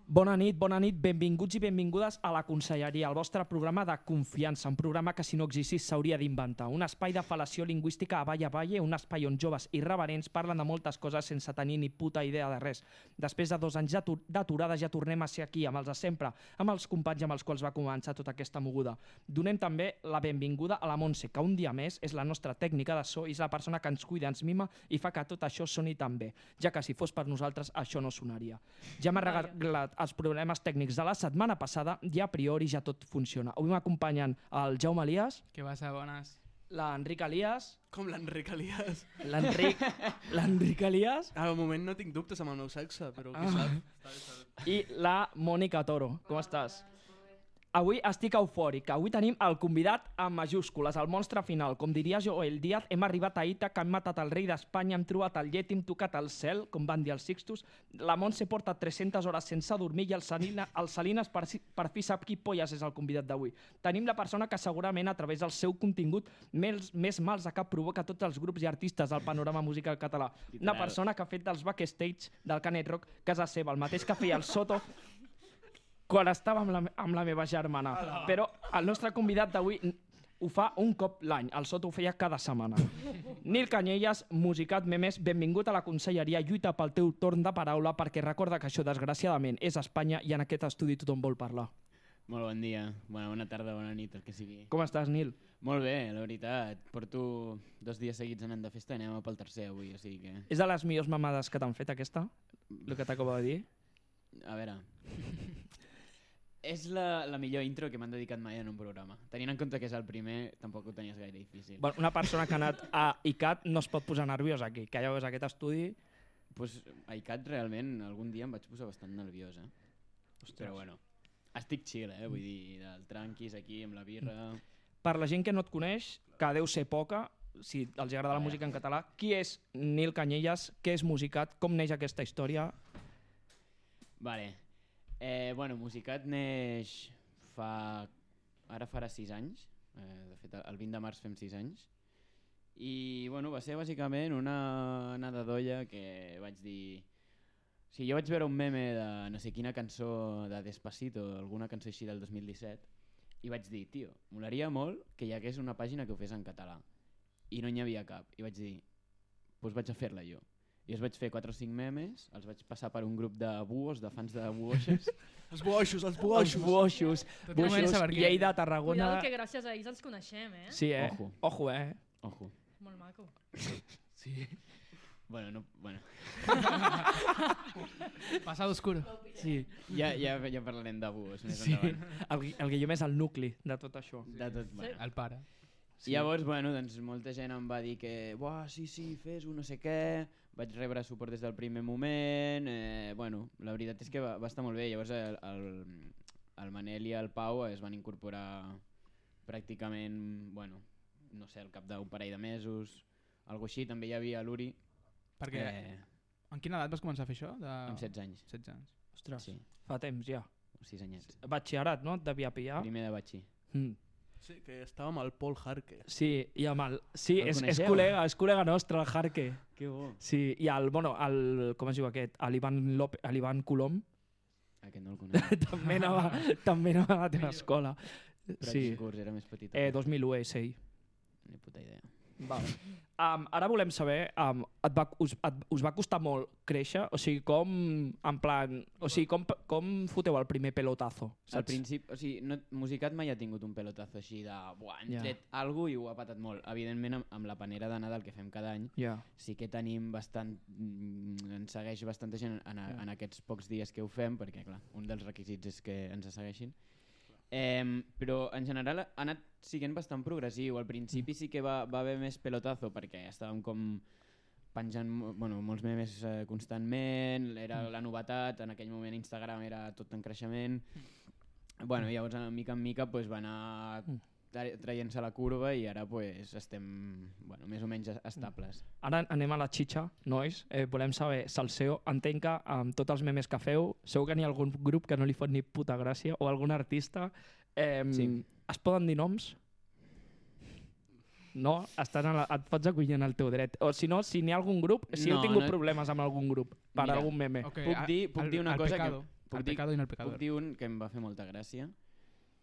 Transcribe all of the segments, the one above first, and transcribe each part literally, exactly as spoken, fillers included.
Bona nit, bona nit, benvinguts i benvingudes a La Conselleria, el vostre programa de confiança, un programa que si no existís s'hauria d'inventar, un espai de fal·lació lingüística a Valle a Valle, un espai on joves irreverents parlen de moltes coses sense tenir ni puta idea de res. Després de dos anys d'aturada ja tornem a ser aquí, amb els de sempre, amb els companys amb els quals va començar tota aquesta moguda. Donem també la benvinguda a la Montse, que un dia més és la nostra tècnica de so i és la persona que ens cuida, ens mima i fa que tot això soni tan bé, ja que si fos per nosaltres això no sonaria. Ja m'ha arreglat els problemes tècnics de la setmana passada i a priori ja tot funciona. Avui m'acompanyen el Jaume Elias. Què passa, bones? L'Enric Elias. Com l'Enric Elias? L'Enric... L'Enric Elias. Ah, al moment no tinc dubtes amb el meu sexe, però qui Ah. sap? I la Mònica Toro. Com estàs? Avui estic eufòric. Avui tenim el convidat amb majúscules, el monstre final. Com diria Joel Díaz, hem arribat a Ita, que hem matat el rei d'Espanya, hem trobat el llet, hem tocat el cel, com van dir els Sixtus. La Montse porta tres-centes hores sense dormir i el, Salina, el Salines per, si- per fi sap qui polles és el convidat d'avui. Tenim la persona que segurament a través del seu contingut més, més mals de cap provoca tots els grups i artistes del panorama musical català. Una persona que ha fet dels backstage del Canet Rock casa seva, el mateix que feia el Soto quan estava amb la, amb la meva germana. Però el nostre convidat d'avui ho fa un cop l'any. El Soto ho feia cada setmana. Nil Canyelles, musicat Memes, benvingut a la Conselleria. Lluita pel teu torn de paraula perquè recorda que això, desgraciadament, és Espanya i en aquest estudi tothom vol parlar. Molt bon dia, bona, bona tarda, bona nit, el que sigui. Com estàs, Nil? Molt bé, la veritat. Porto dos dies seguits anant de festa i anem pel tercer avui, o sigui que... És de les millors mamades que t'han fet, aquesta? El que t'acabo de dir? A veure... És la, la millor intro que m'han dedicat mai en un programa. Tenint en compte que és el primer, tampoc ho tenies gaire difícil. Bueno, una persona que ha anat a I C A T no es pot posar nerviós aquí, que ja veus aquest estudi... Pues, a I C A T realment algun dia em vaig posar bastant nerviós, eh? Ostres. Però bueno, estic chill, eh? Vull dir, del tranquis aquí amb la birra... Per la gent que no et coneix, que deu ser poca, si els agrada la música en català, qui és Nil Canyelles, què és Musicat, com neix aquesta història? Vale. Eh, bueno, Musicat neix fa... Ara farà sis anys. Eh, de fet, el vint de març fem sis anys. I bueno, va ser bàsicament una anada d'olla que vaig dir... O sigui, jo vaig veure un meme de no sé quina cançó de Despacito, alguna cançó així del dos mil disset, i vaig dir, tio, molaria molt que hi hagués una pàgina que ho fes en català. I no n'hi havia cap. I vaig dir, doncs vaig a fer-la jo. I els vaig fer quatre o cinc memes, els vaig passar per un grup de buos, de fans de buoixes. Els boixos, els Els boixos. buoixos, Tot buoixos, comença per aquí. Lleida, Tarragona... Cuidado que gràcies a ells ens coneixem, eh? Sí, eh? Ojo. Ojo, eh? Ojo. Molt maco. Sí. Bueno, no, bueno. Passado oscuro. Sí. Ja, ja, ja parlarem de buos més Sí. endavant. El, el Guillem és el nucli de tot això. De tot, bueno. El pare. Sí. Llavors, bueno, doncs molta gent em va dir que buah, sí, sí, fes-ho, no sé què. Vaig rebre suport des del primer moment. Eh, bueno, la veritat és que va, va estar molt bé. Llavors el, el, el Manel i el Pau es van incorporar pràcticament, bueno, no sé, al cap d'un parell de mesos, algo així. També hi havia l'Uri, Perquè eh, en quina edat vas començar a fer això? De... amb setze anys. setze anys. Ostres, Sí, fa temps ja. sis anyets. Batxillerat, no? Et devia pillar. Primer de batxí. Mm. Sí, que estava amb el Paul Harke. Sí, i amb el... Sí, El és, és, coneixeu? col·lega, és col·lega nostre, el Jarque. Que bo. Sí, i el, bueno, el, com es diu aquest? L'Ivan López, l'Ivan Colom, Aquest no el conec. també anava, també anava a la teva escola. Però Sí, quin curs era més petit. eh, dos mil u, eh, sí. Ni puta idea. Vale. Um, ara volem saber, um, et va, us, et, us va costar molt créixer? O sigui, com, en plan, o sigui, com, com foteu el primer pelotazo? Al principi, o sigui, no, Musicat mai ha tingut un pelotazo així de buah, hem Ja. tret alguna i ho ha patat molt. Evidentment, amb, amb la panera de Nadal que fem cada any, Ja. sí que tenim bastant... mm, ens segueix bastanta gent en, a, en aquests pocs dies que ho fem, perquè clar, un dels requisits és que ens segueixin. Eh, però en general ha anat siguent bastant progressiu. Al principi sí que va, va haver més pelotazo perquè estàvem com penjant mo- bueno, molts memes eh, constantment, era la novetat, en aquell moment Instagram era tot en creixement. Bueno, llavors de mica en mica pues, va anar tra- traient-se la curva i ara pues, estem bueno, més o menys es- estables. Ara anem a la xitxa, nois. Eh, volem saber, Salseo, entenc que amb tots els memes que feu, segur que n'hi ha algun grup que no li fot ni puta gràcia, o algun artista. Eh, Sí. Es poden dir noms? No? Estan a la, et pots acollir en el teu dret. O si no, si n'hi ha algun grup, si No, heu tingut no- problemes amb algun grup, per Mira, algun meme. Ok, Puc a- dir- puc el- dir una el cosa que- pecado. puc El dir, pecado i no el puc pecador. dir un que em va fer molta gràcia,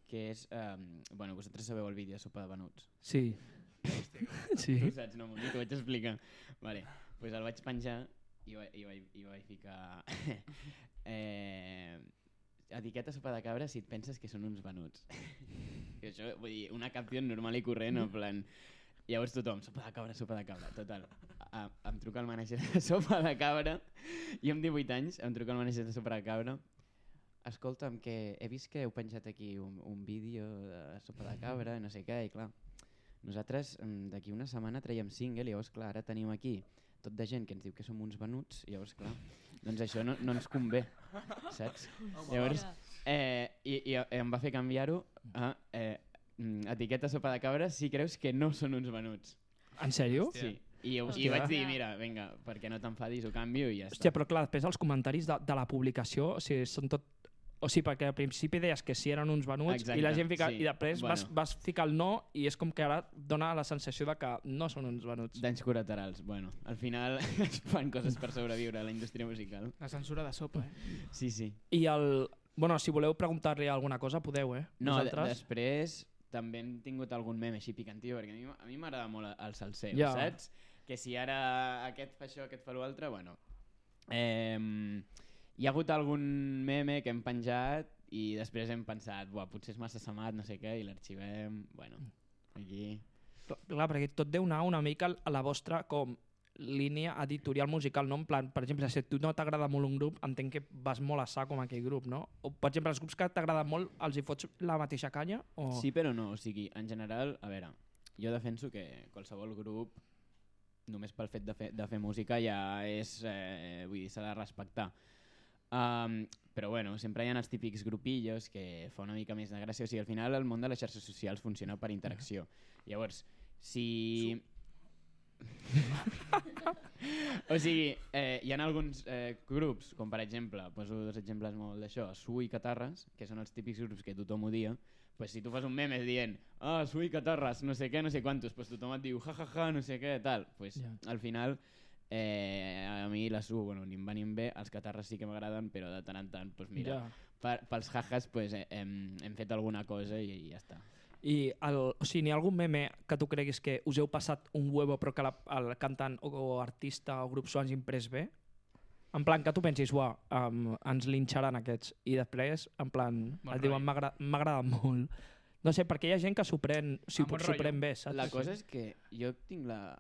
que és... Um, bueno, vosaltres sabeu el vídeo de Sopa de Venuts. Sí. Sí. Tu saps, no, Moni, t'ho vaig explicar. Vale, pues el vaig penjar i, va, i, vaig, i vaig ficar... eh, etiqueta sopa de cabra si et penses que són uns venuts. I això, vull dir, una capció normal i corrent, en plan... Llavors tothom, sopa de cabra, sopa de cabra, total. A, em truca el manager de Sopa de Cabra, i amb divuit anys em truca el manager de Sopa de Cabra. Escolta'm, que he vist que heu penjat aquí un, un vídeo de Sopa de Cabra, no sé què, i clar, nosaltres d'aquí una setmana traiem single, i llavors clar, ara tenim aquí tot de gent que ens diu que som uns venuts, i llavors clar, doncs això no, no ens convé, saps? Llavors, eh, i, i em va fer canviar-ho a... Eh, etiqueta sopa de cabra si creus que no són uns venuts. En sèrio? Sí. I, i Hòstia. vaig dir, mira, vinga, perquè no t'enfadis, ho canvio i ja està. Hòstia, però clar, després els comentaris de, de la publicació, o sigui, són tot... O sigui, perquè al principi deies que sí eren uns venuts Exacte, i la gent fica... sí. I després Bueno. vas, vas ficar el no i és com que ara dona la sensació de que no són uns venuts. Danys col·laterals. Bueno, al final es fan coses per sobreviure a la indústria musical. La censura de sopa, eh? Sí, sí. I el... Bueno, si voleu preguntar-li alguna cosa, podeu, eh? No, de, Vosaltres? després també hem tingut algun meme així picantiu, perquè a mi, a mi m'agrada molt el salseo, Ja. saps? Que si ara aquest fa això, aquest fa l'altre, bueno... Eh, hi ha hagut algun meme que hem penjat i després hem pensat, buah, potser és massa samat, no sé què, i l'arxivem, bueno, aquí... Clar, perquè tot deu anar una mica a la vostra com línia editorial musical, no? En plan, per exemple, si a tu no t'agrada molt un grup, entenc que vas molt a sac amb aquell grup, no? O, per exemple, els grups que t'agrada molt, els hi fots la mateixa canya? O... Sí, però no, o sigui, en general, a veure, jo defenso que qualsevol grup, només pel fet de fer, de fer música ja és, eh, vull dir, s'ha de respectar. Um, però bueno, sempre hi ha els típics grupillos que fa una mica més de gràcia, o sigui, al final el món de les xarxes socials funciona per interacció. Llavors, si... o sigui, eh, hi ha alguns eh, grups, com per exemple, poso dos exemples molt d'això, Su i Catarres, que són els típics grups que tothom odia, pues si tu fas un meme dient ah, Su i Catarres, no sé què, no sé quantos, pues tothom et diu ja, ja, ja, no sé què, tal. Pues Ja. al final, eh, a mi la Su, bueno, ni em va ni em ve, els Catarres sí que m'agraden, però de tant en tant, pues mira, Ja. per, pels jajas pues, eh, hem, hem fet alguna cosa i, i ja està. I el, o sigui, n'hi ha algun meme que tu creguis que us heu passat un huevo però que la, el cantant o, o artista o grup s'ho hagi imprès bé? En plan, que tu pensis, uah, um, ens linxaran aquests. I després, en plan, Bon et diuen, rotllo. "M'agra- m'agrada molt. No sé, perquè hi ha gent que s'ho pren, s'ho Ah, bon s'ho rotllo. pren bé, saps? La cosa és que jo tinc la...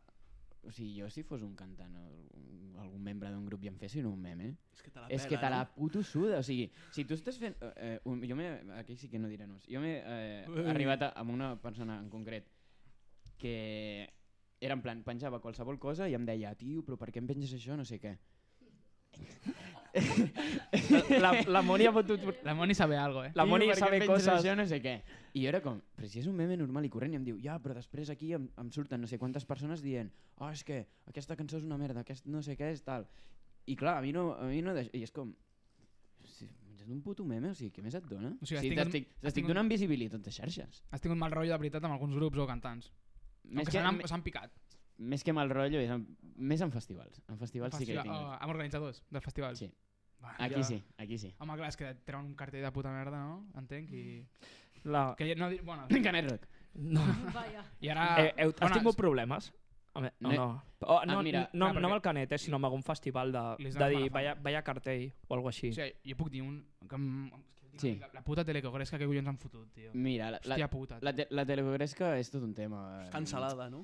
O sigui, jo si fos un cantant o un- algun membre d'un grup i em fessin un meme, És que te la és que te pela, la no? puto suda. O sigui, si tu estàs fent... Eh, un, jo m'he... Aquí sí que no diré nos. Jo m'he eh, Ui. arribat a, amb una persona en concret que era en plan, penjava qualsevol cosa i em deia, tio, però per què em penges això? No sé què. La, la Moni ha fotut... La Moni sabe algo, eh? La Moni Tio, per què sabe em penges coses... Això, no sé què. I jo era com, però si és un meme normal i corrent, i em diu, ja, però després aquí em, em surten no sé quantes persones dient, ah, oh, és que aquesta cançó és una merda, aquest no sé què és tal. I clar, a mi no... A mi no deix... I és com... Si menges un puto meme, o sigui, què més et dona? O sigui, has sí, tingut- t'estic has t'estic tingut- donant visibilitat de xarxes. Has tingut mal rotllo de veritat amb alguns grups o cantants. Més que que, s'han me- s'han picat. més que mal rotllo, és en, més en festivals. En festivals sí que he Festival- tingut. oh, amb organitzadors del festival. Sí. Va, Aquí ja- sí, aquí sí. Home, clar, és que treuen un cartell de puta merda, no? Entenc, i... La... Que ja no... di- Bueno, Canet Rock. No. Vaya. i ara... Eh, heu, has Bueno, tingut problemes? Home, no, No- no. Oh, no, Ah, mira, no, clar, no amb perquè- el Canet, eh, sinó amb algun festival de, Li de dones dir, mala fama. vaya, vaya cartell o alguna així. O sigui, jo puc dir un... Que em... Sí. La, la puta telecogresca que collons han fotut, tio. Mira, la, la, Hòstia puta. la, te, la telecogresca és tot un tema. Cancel·lada, no?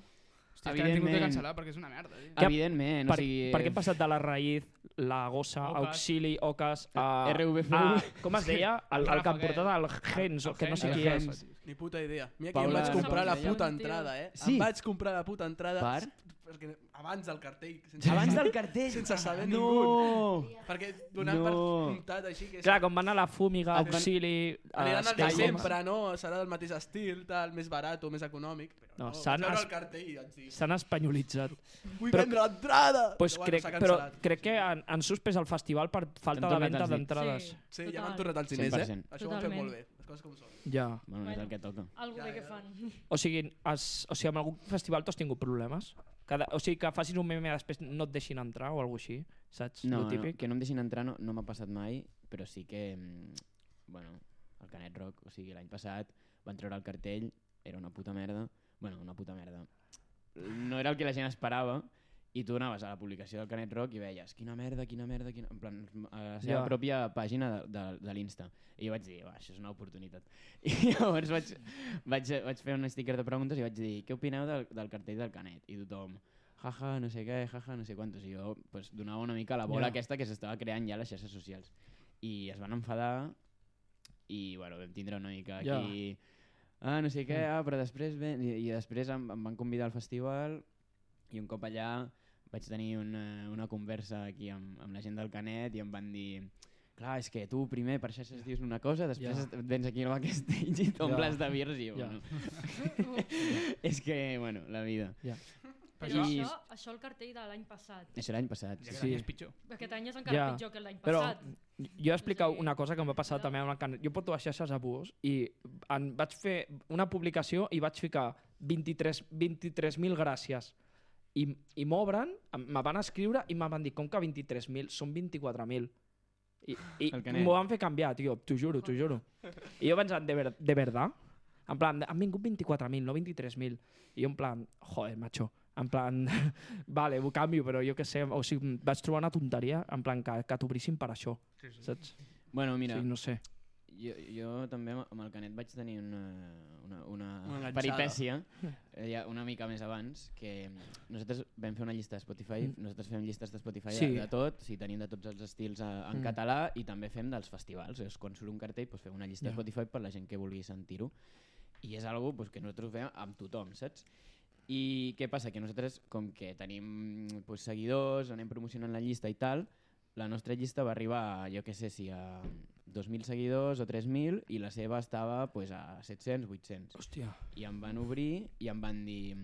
Hòstia, que l'han tingut que evidentment. cancel·lar perquè és una merda, tio. Que- Evidentment, Per, o sigui... per què hem passat de la raïz, la gossa, Ocas. auxili, ocas, a... R V F. a com es deia? El, el que Rafa em portava el Gens, El que no sé Gens, qui el és. Gens. Ni puta idea. Mira que Paula- em vaig comprar la Paula- puta Tio. entrada, eh? Sí. Em vaig comprar la puta entrada Per? perquè abans del cartell. Sense Abans del cartell! Sense saber no! ningú. Perquè donant No. per comptat així que... Clar, com va anar la fúmiga, Et van- auxili... Aniran eh, al de Stella. sempre, no? Serà del mateix estil, tal, més barat o més econòmic. Però No, no, s'han vaig veure es- el cartell i vaig dir, S'han espanyolitzat. vull Però- vendre l'entrada! Pues Però crec, s'ha però cancel·lat. crec que han, han suspès el festival per falta de tornat venda els diners. d'entrades. Sí. Sí, ja Total. m'han tornat els diners, cent per eh? cent. Això ho han fet Totalment. molt bé. Els coses com són. Ja. Bueno, no és el que toca. Algo Ja, bé que ja. fan. O sigui, has, o sigui, amb algun festival tu has tingut problemes? Cada, o sigui, que facis un meme i després no et deixin entrar o alguna cosa així, saps? No, Lo no, típic. que no em deixin entrar no, no m'ha passat mai, però sí que, mm, bueno, el Canet Rock, o sigui, l'any passat van treure el cartell, era una puta merda, bueno, una puta merda. No era el que la gent esperava, i tu anaves a la publicació del Canet Rock i veies quina merda, quina merda, quina... en plan, a la seva Ja. pròpia pàgina de, de, de l'Insta. I jo vaig dir, va, això és una oportunitat. I llavors vaig, vaig, vaig fer un sticker de preguntes i vaig dir, què opineu del, del cartell del Canet? I tothom, jaja, no sé què, jaja, no sé quantos. I jo pues, donava una mica la bola Ja. aquesta que s'estava creant ja a les xarxes socials. I es van enfadar i bueno, vam tindre una mica Ja. aquí... Ah, no sé què, ah, però després ven... I, i després em, em van convidar al festival i un cop allà vaig tenir una, una conversa aquí amb, amb la gent del Canet i em van dir clar, és que tu primer per xarxes dius una cosa, després Ja. vens aquí al backstage i t'omples de birrs i jo, Ja. bueno... és que, bueno, la vida. Ja. Però I- això, això el cartell de l'any passat. Això l'any passat. Ja que Sí. l'any és pitjor. Aquest any és encara Ja. pitjor que l'any Però passat. jo he explicat O sigui, una cosa que em va passar cuidado. també amb el Canet. Jo porto les xarxes a bus i en vaig fer una publicació i vaig ficar vint-i-tres mil gràcies. I, i m'obren, em- me van escriure i me van dir, com que vint-i-tres mil? Són vint-i-quatre mil. I, i El Canet. m'ho van fer canviar, tio, t'ho juro, t'ho juro. I jo pensant, de, ver, de verdad? En plan, han vingut vint-i-quatre mil, no vint-i-tres mil. I jo en plan, joder, macho, en plan, vale, ho canvio, però jo què sé, o sigui, vaig trobar una tonteria, en plan, que, que t'obrissin per això, Sí, sí. saps? Bueno, mira, Sí, no sé. jo, jo també amb el Canet vaig tenir una, una, una, Una enganxada. peripècia eh, ja una mica més abans, que nosaltres vam fer una llista de Spotify, Mm. nosaltres fem llistes de Spotify Sí. de, de tot, sí, tenim de tots els estils a, en Mm. català i també fem dels festivals, és quan surt un cartell doncs fem una llista Ja. de Spotify per la gent que vulgui sentir-ho i és algo pues, que nosaltres ho fem amb tothom, saps? I què passa? Que nosaltres, com que tenim pues, seguidors, anem promocionant la llista i tal, la nostra llista va arribar, a, jo què sé, si a dos mil seguidors o tres mil i la seva estava pues, a set-cents, vuit-cents. Hòstia. I em van obrir i em van dir...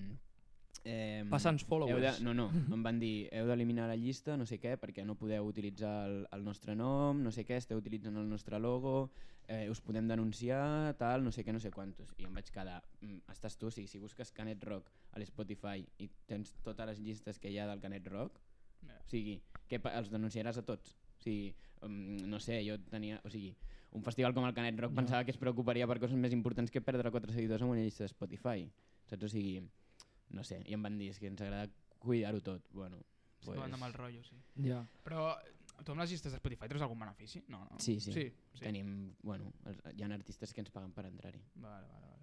Eh, Passa'ns heu followers. de, no, no, em van dir heu d'eliminar la llista, no sé què, perquè no podeu utilitzar el, el nostre nom, no sé què, esteu utilitzant el nostre logo, eh, us podem denunciar, tal, no sé què, no sé quantos. I em vaig quedar, mm, estàs tu, sí, si busques Canet Rock a l'Spotify i tens totes les llistes que hi ha del Canet Rock, Ja. o sigui, que pa- els denunciaràs a tots. O sigui, um, no sé, jo tenia... O sigui, un festival com el Canet Rock No. pensava que es preocuparia per coses més importants que perdre quatre seguidors en una llista de Spotify. Saps? O sigui, no sé, i em van dir, és que ens agrada cuidar-ho tot. Bueno, Sí, pues... amb el rotllo, sí. Ja. Però tu amb les llistes de Spotify treus algun benefici? No, no. sí, sí, Sí, sí. Tenim, bueno, els- hi ha artistes que ens paguen per entrar-hi. Vale, vale, vale.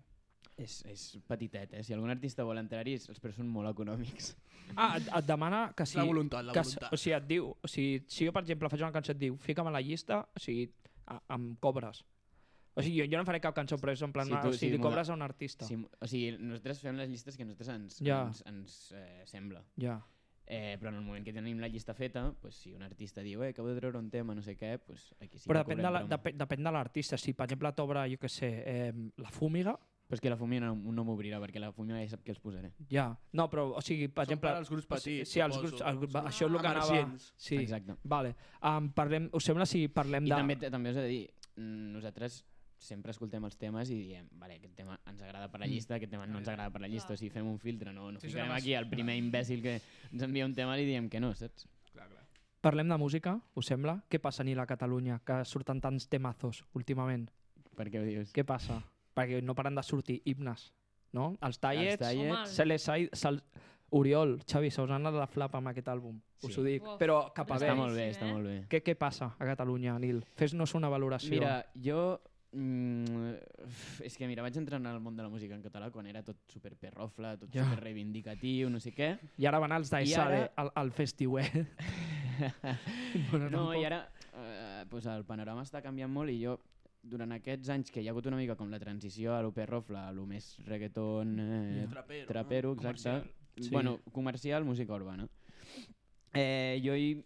És, és petitet, eh? Si algun artista vol entrar-hi, els preus són molt econòmics. Ah, et, et demana que si... La voluntat, la que, s- voluntat. o sigui, et diu, o sigui, si jo, per exemple, faig una cançó et diu, fica'm a la llista, o sigui, a, em cobres. O sigui, jo, jo no faré cap cançó, però és en plan, Sí, sí, tu- o sigui, sí, li mola. cobres a un artista. Sí, o sigui, nosaltres fem les llistes que a nosaltres ens, Ja. ens, ens eh, sembla. Ja. Eh, però en el moment que tenim la llista feta, pues, si un artista diu eh, acabo de treure un tema, no sé què, pues, aquí sí Però que depèn de, cobrem la, promo. depèn, depèn de l'artista. Si, per exemple, t'obre, jo què sé, eh, la Fúmiga, Però és que la Fumina no, no m'obrirà, perquè la Fumina ja sap que els posaré. ja. No, però, o sigui, per Són exemple... per als grups petits, Sí, els suposo. grups, els grups Són això és el que anava... emergents. Sí, Exacte. vale. Um, parlem, us sembla si parlem I de... també, també us he de dir, mm, nosaltres sempre escoltem els temes i diem, vale, aquest tema ens agrada per la Mm. llista, aquest tema no ens agrada per la llista, Clar. o sigui, fem un filtre, no, no Sí, sí, ficarem home, aquí el primer imbècil que ens envia un tema i li diem que no, saps? Clar, clar. Parlem de música, us sembla? Què passa, Nil, a Catalunya, que surten tants temazos últimament? Per què ho dius? Què passa? Perquè no paren de sortir himnes, no? Els Els tallets, tallets, se les ha... Se Oriol, Xavi, se us ha anat la flapa amb aquest àlbum, us Sí. ho dic. Uf, Però cap a està està bé. molt bé, boníssim, està eh? molt bé. Què, què passa a Catalunya, Nil? Fes-nos una valoració. Mira, jo... Mm, és que mira, vaig entrar en el món de la música en català quan era tot super perrofla, tot Ja. super reivindicatiu, no sé què. I ara van els I d'Aisade ara- al, al festiuet. Bueno, No, tampoc. i ara eh, pues el panorama està canviant molt i jo durant aquests anys que hi ha hagut una mica com la transició a lo perrofla, a lo més reggaeton, eh, Trapero, trapero, exacte. Comercial. Sí. Bueno, comercial, música urbana. Eh, jo hi,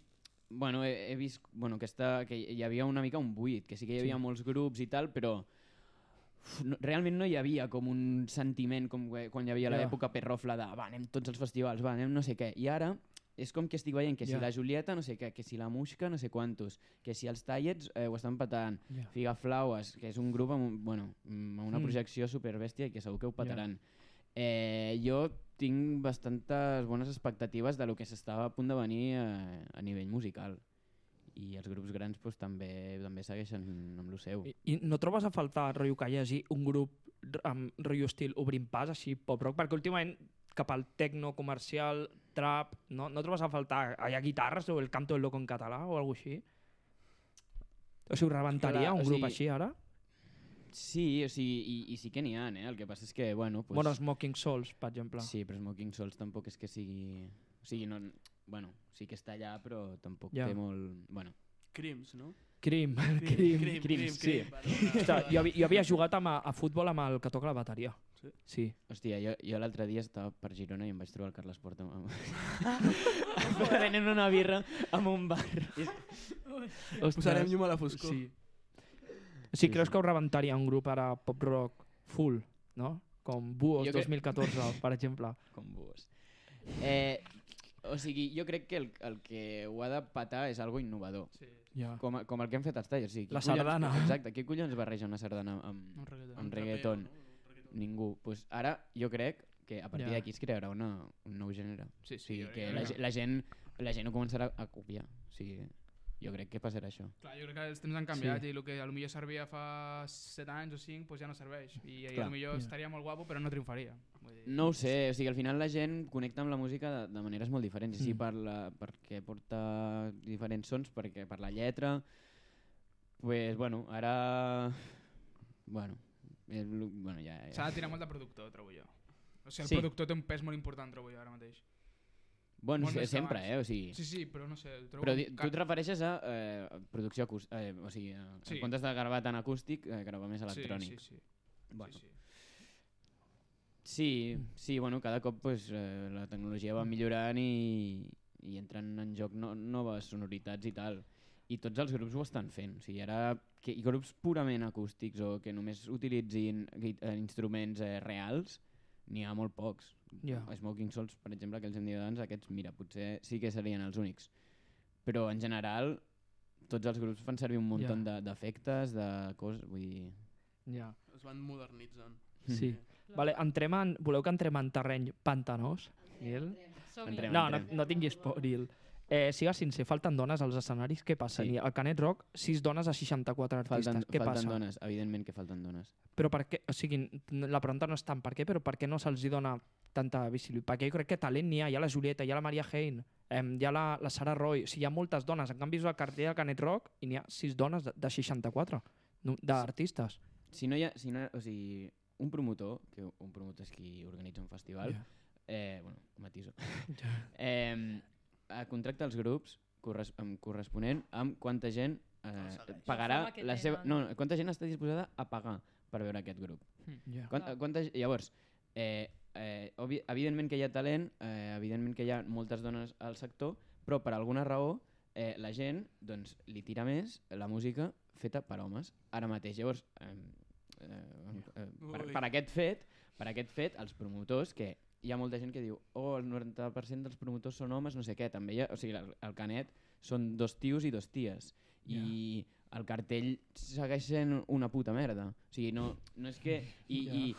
bueno, he, he vist bueno, que, està, que hi havia una mica un buit, que sí que hi havia Sí. molts grups i tal, però uf, no, realment no hi havia com un sentiment com que- quan hi havia Ja. l'època perrofla de va, anem tots als festivals, va, anem no sé què. I ara és com que estic veient que si Ja. la Julieta, no sé què, que si la Muixca, no sé quantos, que si els Tallets eh, ho estan patant, Ja. Figaflaues, que és un grup amb, un- bueno, amb una Mm. projecció superbèstia i que segur que ho petaran. Eh, jo tinc bastantes bones expectatives de lo que s'estava a punt de venir eh, a nivell musical. I els grups grans pues, també també segueixen amb lo seu. I, I no trobes a faltar, rotllo, que hi hagi un grup r- amb rotllo estil obrint pas, així, pop-rock? Perquè últimament cap al tecno comercial, trap, no, no trobes a faltar? Hi ha guitarres o el canto del loco en català o alguna així? O sigui, rebentaria Clar, un o grup sigui, així ara? Sí, o sigui, i, i sí que n'hi ha, eh? El que passa és que, bueno... Pues, Bueno, Smoking Souls, per exemple. sí, però Smoking Souls tampoc és que sigui... O sigui, no, bueno, sí que està allà, però tampoc Ja. té molt... Bueno, Crims, no? Crim, Crim, crim. crim, crim, sí. crim. Perdona. Ostres, jo, havia- jo havia jugat amb, a, a futbol amb el que toca la bateria. Sí? Sí. hòstia, jo, jo l'altre dia estava per Girona i em vaig trobar el Carles Porta amb... venent una birra amb un bar. Posarem llum a la foscor. Sí. O Sí, sigui, creus sí. que ho rebentaria un grup ara pop-rock full, no? Com Buos Jo crec- dos mil catorze, per exemple. Com buos. Eh, o sigui, jo crec que el, el que ho ha de patar és algo innovador. Sí, Ja. Com, a- com el que hem fet els tallers. O sigui, qui La collons- sardana. Exacte, qui collons barreja una sardana amb, un reggaeton. amb reggaeton? Ningú. Pues ara jo crec que a partir Ja. d'aquí es crearà una, un nou gènere. Sí, O sí, sigui, jo que crec la, que- ge- la, gent, la gent ho començarà a copiar. O sigui, jo crec que passarà això. Clar, jo crec que els temps han canviat Sí. i el que potser servia fa set anys o cinc pues ja no serveix. I, i Clar. potser Ja. estaria molt guapo però no triomfaria. Vull dir... No ho sé, o sigui, al final la gent connecta amb la música de, de maneres molt diferents. I sí, Mm. per la, perquè porta diferents sons, perquè per la lletra... Pues, bueno, ara... Bueno, és, lo- bueno ja... S'ha ja. de tirar molt de productor, trobo jo. O sigui, el Sí. productor té un pes molt important, trobo jo, ara mateix. Bueno, molt sí, més que sempre, abans. eh? O sigui, Sí, sí, però no sé, el trobo... però di, com tu ca- et refereixes a eh, producció acústica, eh, o sigui, a, Sí. en comptes de gravar tan acústic, eh, gravar més electrònic. Sí, sí, sí. Bueno. sí, sí. Sí, sí, bueno, cada cop pues, eh, la tecnologia va millorant i, i entren en joc no, noves sonoritats i tal. I tots els grups ho estan fent. O sigui, ara que, i grups purament acústics o que només utilitzin gui- eh, instruments eh, reals, n'hi ha molt pocs. Ja. Smoking Souls, per exemple, que els hem dit abans, aquests, mira, potser sí que serien els únics. Però en general, tots els grups fan servir un munt Ja. de- d'efectes, de coses, vull dir... Ja. Es van modernitzant. Sí. Vale, entrem en, voleu que entrem en terreny pantanós? Nil? Som-hi. Entrem. No, no, no tinguis por, Nil. Eh, siga sincer, falten dones als escenaris, què passa? Sí. Sí. Al Canet Rock, sis dones a seixanta-quatre artistes, Falten, què falten passa? dones, evidentment que falten dones. Però per què, o sigui, n- la pregunta no és tant per què, però per què no se'ls hi dona tanta visibilitat? Perquè jo crec que talent n'hi ha, hi ha la Julieta, hi ha la Maria Hein, eh, hi ha la, la Sara Roy, o sigui, hi ha moltes dones, en canvi és el cartell del Canet Rock i n'hi ha sis dones de, de seixanta-quatre no, d'artistes. Si no hi ha, si no, o sigui, un promotor, que un promotor és qui organitza un festival, Ja. eh, bueno, matiso, eh, eh, contracta els grups corres amb corresponent amb quanta gent eh, segueix. pagarà La fama que la seva, tenen. no, quanta gent està disposada a pagar per veure aquest grup. Ja. Quant, Clar. quanta, llavors, eh, eh, obvi, evidentment que hi ha talent, eh, evidentment que hi ha moltes dones al sector, però per alguna raó eh, la gent doncs, li tira més la música feta per homes ara mateix. Llavors, eh, eh, eh, per, Ui. per, aquest fet, per aquest fet, els promotors, que hi ha molta gent que diu oh, el noranta per cent dels promotors són homes, no sé què, també hi ha, o sigui, el, el Canet són dos tios i dos ties, i el cartell segueix sent una puta merda. O sigui, no, no és que... I, Ja. i,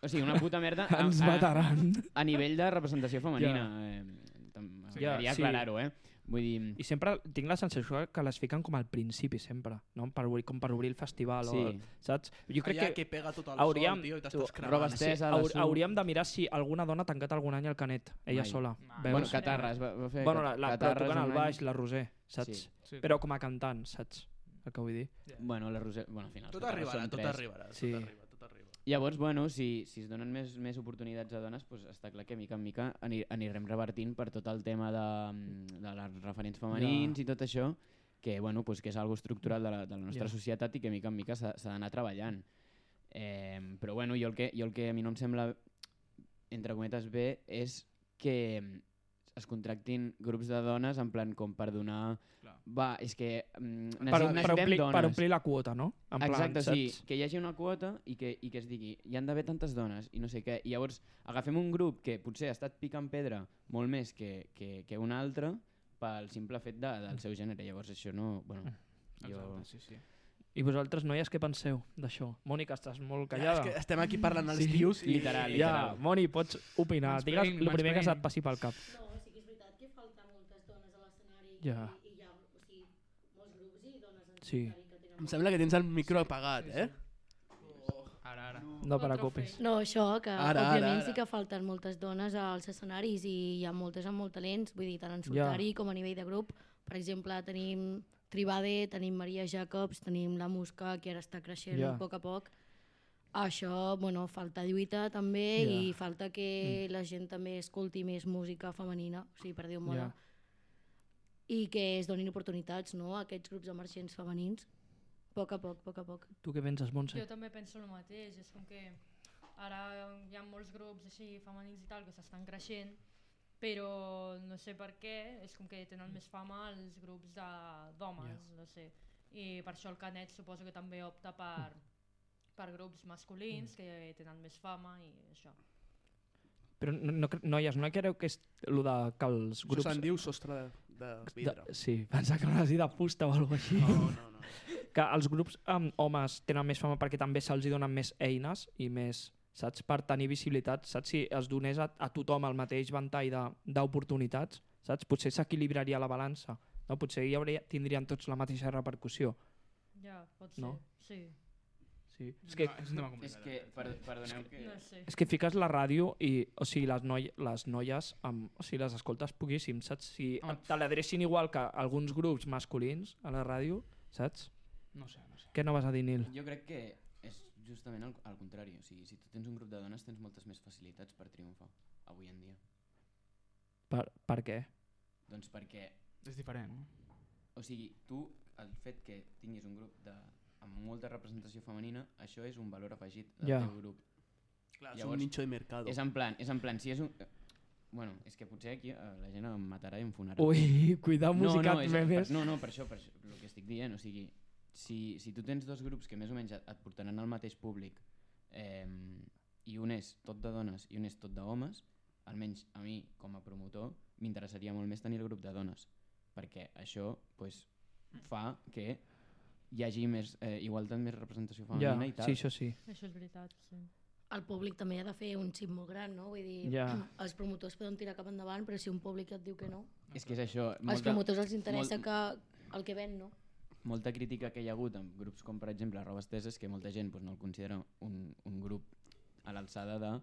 o sigui, una puta merda a, Ens a, mataran. a nivell de representació femenina. Eh, Ja, M'agradaria sí. aclarar-ho, eh? Vull dir... I sempre tinc la sensació que les fiquen com al principi, sempre, no? Per obrir, com per obrir el festival, Sí. o, saps? Jo crec Allà que, que pega tot el hauríem- sol, tio, i tu, t'estàs cremant. robes sí, Tesa, la haur, Su. hauríem de mirar si alguna dona ha tancat algun any al Canet, ella Mai. sola. Mai. Veus? Bueno, Catarres, va, va fer... Bueno, la, la, però Catarres tocant un al any. baix, la Roser, saps? Sí. Sí, Però com a cantant, saps? El que vull dir. Bueno, la Roser... Bueno, al final... els Tot Catarres arribarà, són tot tres. arribarà, Sí. tot arriba, tot arriba. Llavors, bueno, si, si es donen més, més oportunitats a dones, pues està clar que mica en mica ani, anirem revertint per tot el tema de, de les referents femenins Ja. i tot això, que, bueno, pues, que és algo estructural de la, de la nostra Ja. societat i que mica en mica s'ha s'ha d'anar treballant. Eh, però bueno, jo el, que, jo el que a mi no em sembla, entre cometes, bé és que es contractin grups de dones en plan com per donar... Clar. Va, és que mm, Per, necessitem, per, necessitem omplir, dones. per omplir la quota, no? En plan, Exacte, sí, saps? que hi hagi una quota i que, i que es digui hi han d'haver tantes dones i no sé què. I llavors agafem un grup que potser ha estat picant pedra molt més que, que, que un altre pel simple fet de, del seu gènere. Llavors això no... Bueno, jo... Exacte, sí, sí. I vosaltres, noies, què penseu d'això? Mònica, estàs molt Ja, callada. és que estem aquí parlant els Sí, tios i... literal, Ja, literal. Moni, pots opinar. Mansplaining, Digues el primer que mansplaining. se't passi pel cap. No, sí que és veritat que falta moltes dones a l'escenari Ja. i, i hi ha o sigui, molts grups i dones en Sí. solitari que tenen... Em sembla que tens el micro apagat, Sí, sí. eh? Ara, ara. No te preocupis. No, això, que Ara, ara, òbviament ara. sí que falten moltes dones als escenaris i hi ha moltes amb molt talents, vull dir, tant en Ja. solitari com a nivell de grup. Per exemple, tenim Tribade, tenim Maria Jacobs, tenim la Musca, que ara està creixent Ja. a poc a poc. Això, bueno, falta lluita també Ja. i falta que la gent també escolti més música femenina, o sigui, per dir-ho molt. Ja. I que es donin oportunitats, no?, a aquests grups emergents femenins. A poc a poc, a poc a poc. Tu què penses, Montse? Jo també penso el mateix, és com que ara hi ha molts grups així femenins i tal que s'estan creixent, però no sé per què, és com que tenen més fama els grups de- d'homes, Yeah. no sé. I per això el Canet suposo que també opta per, per grups masculins que tenen més fama i això. Però no, no, cre- noies, no creu que és el de que els Això grups... se'n diu sostre de, de vidre. De, sí, pensa que no és de fusta o alguna cosa així. No, no, no. Que els grups amb homes tenen més fama perquè també se'ls hi donen més eines i més, saps, per tenir visibilitat, saps, si es donés a, a tothom el mateix ventall de- d'oportunitats, saps, potser s'equilibraria la balança, no? Potser hi hauria, tindrien tots la mateixa repercussió. Ja, pot ser, No? sí. Sí. És, És que, és un tema És complicat. que, per, perdoneu que... No sé. és que fiques la ràdio i, o sigui, les, noi, les noies, amb, o sigui, les escoltes poquíssim, saps? Si Home. te l'adrecin igual que alguns grups masculins a la ràdio, saps? No sé, no sé. Què no vas a dir, Nil? Jo crec que és justament al, al contrari. O sigui, si tu tens un grup de dones tens moltes més facilitats per triomfar avui en dia. Per, per què? Doncs perquè, És diferent, no? o sigui, tu, el fet que tinguis un grup de, amb molta representació femenina, això és un valor afegit del Ja. teu grup. Clar, és Llavors, un nicho de mercado. És en plan, és en plan, si és un... eh, Bueno, és que potser aquí eh, la gent em matarà i em fonarà. Ui, cuidao, no, musicat, no, és, memes. per, no, no, per això, per això, el que estic dient, o sigui, si, si tu tens dos grups que més o menys et, et portaran al mateix públic eh, i un és tot de dones i un és tot d'homes, almenys a mi, com a promotor, m'interessaria molt més tenir el grup de dones, perquè això pues, fa que hi hagi més eh, igualtat, més representació Ja, femenina i tal. sí, això sí. Això és veritat, sí. El públic també ha de fer un xip molt gran, no? Vull dir, Ja. els promotors poden tirar cap endavant, però si un públic et diu que no, És que és això, als molta, promotors els interessa molt- que el que ven, no? molta crítica que hi ha hagut amb grups com per exemple Robes Teses, que molta gent pues, no el considera un, un grup a l'alçada de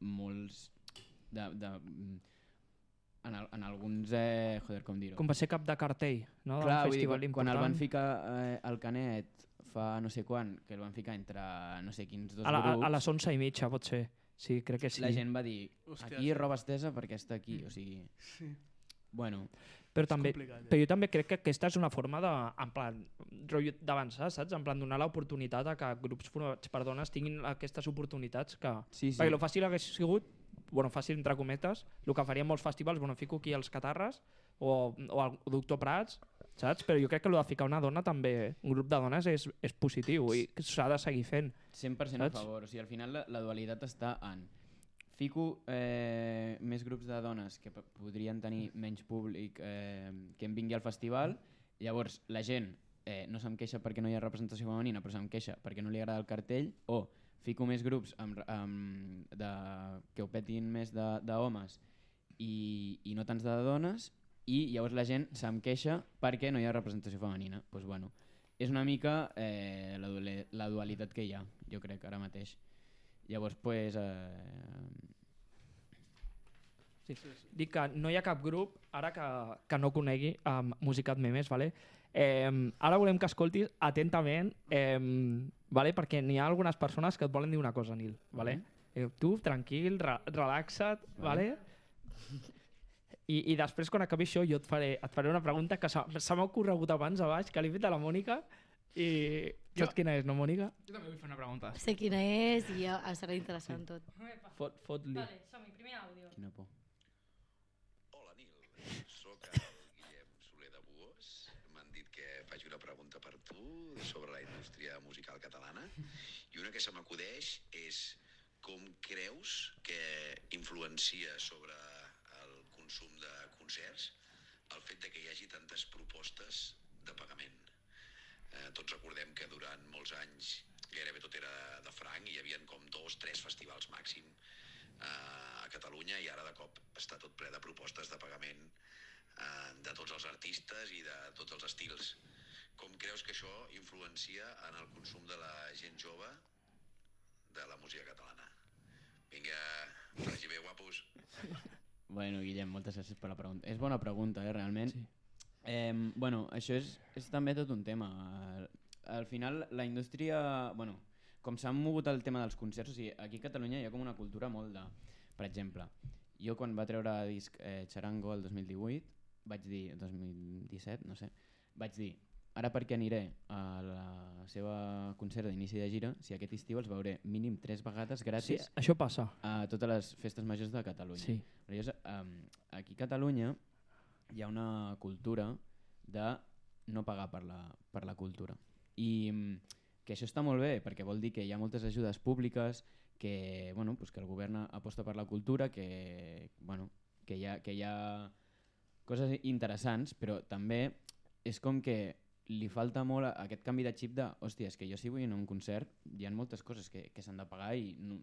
molts de, de, mm, en, el, en alguns eh, joder, com dir-ho, Com va ser cap de cartell, no? clar, D'un vull dir, festival quan, quan el important. van ficar eh, al Canet fa no sé quan, que el van ficar entre no sé quins dos a, la, grups, a, a les onze i mitja, pot ser. Sí, crec que sí. la gent va dir Hòstia, aquí sí. Robes Tesa perquè està aquí, o sigui, Sí, bueno, Però també, complicat, eh? però jo també crec que aquesta és una forma de, en plan, rotllo d'avançar, saps? En plan, donar l'oportunitat a que grups formats per dones tinguin aquestes oportunitats que... sí, sí. Perquè el fàcil hagués sigut, bueno, fàcil entre cometes, el que farien molts festivals, bueno, fico aquí els Catarres o, o el Doctor Prats, saps? Però jo crec que el de ficar una dona també, un grup de dones és, és positiu i s'ha de seguir fent. cent per cent a Saps? favor, o sigui, al final la, la dualitat està en fico eh, més grups de dones que p- podrien tenir menys públic eh, que em vingui al festival, llavors la gent eh, no se'm queixa perquè no hi ha representació femenina però se'm queixa perquè no li agrada el cartell, o fico més grups amb, amb, de, que ho petin més d'homes i, i no tants de dones, i llavors la gent se'm queixa perquè no hi ha representació femenina. Pues bueno, és una mica eh, la, duali- la dualitat que hi ha, jo crec, ara mateix. Llavors, pues, eh, Sí. Dic que no hi ha cap grup, ara que, que no conegui um, Musicat Memes, vale? Eh, ara volem que escoltis atentament, eh, vale? Perquè n'hi ha algunes persones que et volen dir una cosa, Nil. Vale? Eh, tu, tranquil, re relaxa't, vale? I, I després, quan acabi això, jo et faré, et faré una pregunta que s'ha s'ha m'ha ocorregut abans a baix, que li he fet a la Mònica, i saps Jo- quina és, no, Mònica? Jo també vull fer una pregunta. Sé quina és i ja serà interessant tot. Epa. Fot, fot-li. Vale, som-hi, primer àudio. quina por. Hola, Nil. Soc el Guillem Soler de Buós. M'han dit que faci una pregunta per tu sobre la indústria musical catalana. I una que se m'acudeix és com creus que influencia sobre el consum de concerts el fet de que hi hagi tantes propostes de pagament. Eh, tots recordem que durant molts anys gairebé tot era de franc i hi havia com dos, tres festivals màxim a Catalunya i ara de cop està tot ple de propostes de pagament eh, de tots els artistes i de tots els estils. Com creus que això influencia en el consum de la gent jove de la música catalana? Vinga, vagi bé, guapos. Bueno, Guillem, moltes gràcies per la pregunta. És bona pregunta, eh, realment. Sí. Eh, bueno, això és, és també tot un tema. Al, al final, la indústria... Bueno, com s'ha mogut el tema dels concerts, o sigui, aquí a Catalunya hi ha com una cultura molt de... Per exemple, jo quan va treure disc eh, Charango el dos mil divuit, vaig dir, dos mil disset, no sé, vaig dir, ara perquè aniré a la seva concert d'inici de gira, si aquest estiu els veuré mínim tres vegades Sí, gratis això passa. a totes les festes majors de Catalunya. Sí. Llavors, um, aquí a Catalunya hi ha una cultura de no pagar per la, per la cultura. I um, que això està molt bé, perquè vol dir que hi ha moltes ajudes públiques, que, bueno, pues que el govern aposta per la cultura, que, bueno, que, hi ha, que hi ha coses interessants, però també és com que li falta molt aquest canvi de xip de, hòstia, és que jo si vull anar a un concert hi ha moltes coses que, que s'han de pagar i no,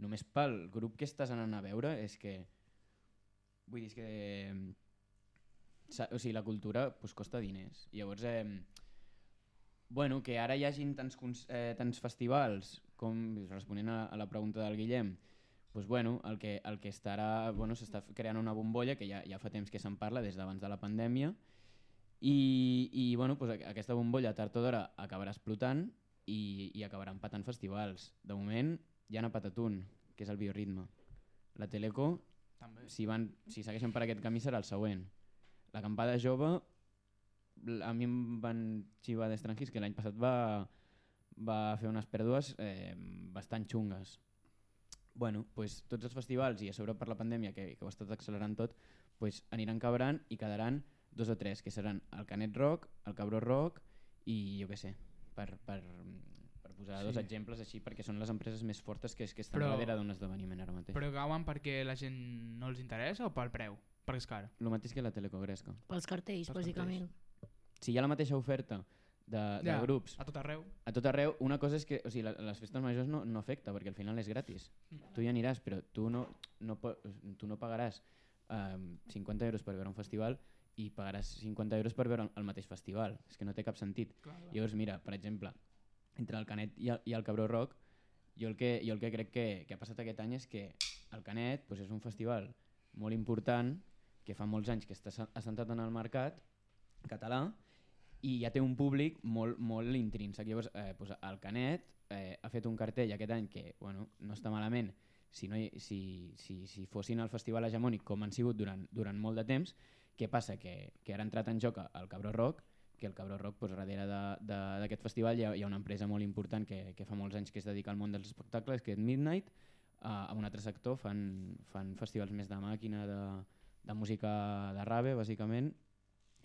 només pel grup que estàs anant a veure és que, vull dir, és que o sigui, la cultura pues, costa diners. I llavors, eh, bueno, que ara hi hagin tants, eh, tants festivals, com responent a, a la pregunta del Guillem, pues, bueno, el que, el que estarà, bueno, s'està creant una bombolla que ja, ja fa temps que se'n parla des d'abans de la pandèmia i, i bueno, pues, aquesta bombolla tard o d'hora acabarà explotant i, i acabarà empatant festivals. De moment ja n'ha empatat un, que és el Bioritme. La Teleco, També. si, van, si segueixen per aquest camí serà el següent. La Campada Jove, a mi em van xivar d'estrangis que l'any passat va, va fer unes pèrdues eh, bastant xungues. Bueno, pues, tots els festivals i a sobre per la pandèmia que, que ho ha estat accelerant tot, pues, aniran cabrant i quedaran dos o tres, que seran el Canet Rock, el Cabró Rock i jo què sé, per, per, per posar sí. dos exemples així, perquè són les empreses més fortes que, que estan Però- darrere d'un esdeveniment ara mateix. Però cauen perquè la gent no els interessa o pel preu? Perquè és car. El mateix que la Teleco Gresca. Pels cartells, Pels bàsicament. Si hi ha la mateixa oferta de, de Ja, grups A tot arreu. a tot arreu, una cosa és que o sigui, la, les festes majors no, no afecta perquè al final és gratis. Tu hi aniràs, però tu no, no, po- tu no pagaràs um, cinquanta euros per veure un festival i pagaràs cinquanta euros per veure el, el mateix festival. És que no té cap sentit. Clar, clar. Llavors, mira, per exemple, entre el Canet i el, i el Cabró Rock, jo el que, jo el que crec que, que ha passat aquest any és que el Canet pues, és un festival molt important que fa molts anys que està sa- assentat en el mercat català i ja té un públic molt, molt intrínsec. Llavors, eh, pues, el Canet eh, ha fet un cartell aquest any que bueno, no està malament si, no hi, si, si, si fossin el festival hegemònic com han sigut durant, durant molt de temps. Què passa? Que, que ara ha entrat en joc el Cabró Rock, que el Cabró Rock pues, darrere d'aquest festival hi ha, hi ha una empresa molt important que, que fa molts anys que es dedica al món dels espectacles, que és Midnight. Uh, a un altre sector fan, fan festivals més de màquina, de, de música de rave, bàsicament,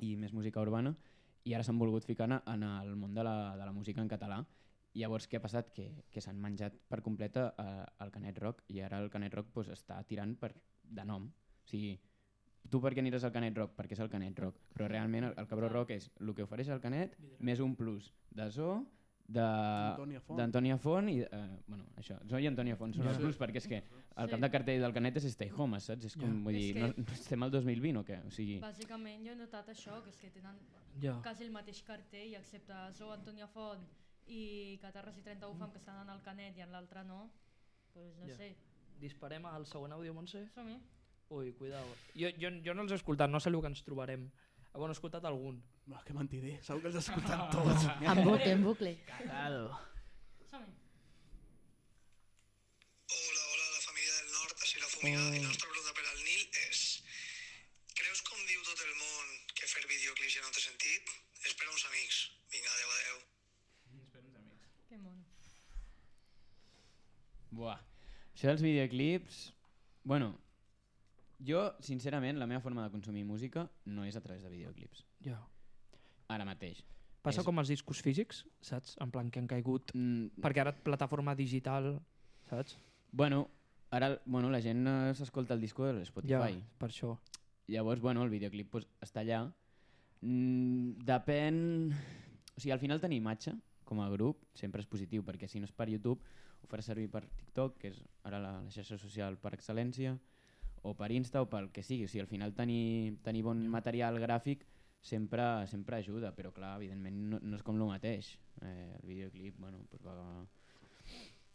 i més música urbana, i ara s'han volgut ficar en, en el món de la, de la música en català. I llavors què ha passat? Que, que s'han menjat per completa uh, el Canet Rock, i ara el Canet Rock pues, està tirant per, de nom. O sigui, tu per què aniràs al Canet Rock? Perquè és el Canet Rock, però realment el, el Cabró Rock és el que ofereix el Canet més un plus de so, Antònia Font. d'Antònia Font i eh, bueno, això, so i Antònia Font són Ja. els plus perquè és que el Sí. cap de cartell del Canet és Stay Home, saps? És com, Ja. vull dir, És que- no, no estem al dos mil vint o què? O sigui, Bàsicament jo he notat això, que és que tenen Ja. quasi el mateix cartell, excepte Zoo Antònia Font i Catarres i trenta-u Fam, que estan en el Canet i en l'altre no, pues no Ja. sé. Disparem al següent àudio, Montse? Som-hi. Ui, cuidao. Jo, jo, jo no els he escoltat, no sé el que ens trobarem. Ah, bueno, he escoltat algun. No, que mentider, segur que els has escoltat tots. En bucle, en bucle. Cagado. Som-hi. Hola, hola, la família del nord, així la fumiga. Oh. I la nostra pregunta per al Nil és: creus, com diu tot el món, que fer videoclips ja no té sentit? És per a uns amics. Vinga, adeu, adeu. Que mono. buah. Això dels videoclips, bueno, Jo, sincerament, la meva forma de consumir música no és a través de videoclips. Ja. Ara mateix. Passa És- com els discos físics, saps? En plan que han caigut... Mm, Perquè ara plataforma digital, saps? bueno, ara bueno, la gent eh, s'escolta el disco de Ja, Spotify. per això. Llavors, bueno, el videoclip pues, està allà. Mm, depèn... O sigui, al final tenir imatge com a grup sempre és positiu, perquè si no és per YouTube ho farà servir per TikTok, que és ara la, la xarxa social per excel·lència, o per Insta o pel que sigui. O sigui, al final tenir, tenir bon material gràfic sempre, sempre ajuda, però clar, evidentment no, no és com el mateix. Eh, el videoclip, bueno, pues va,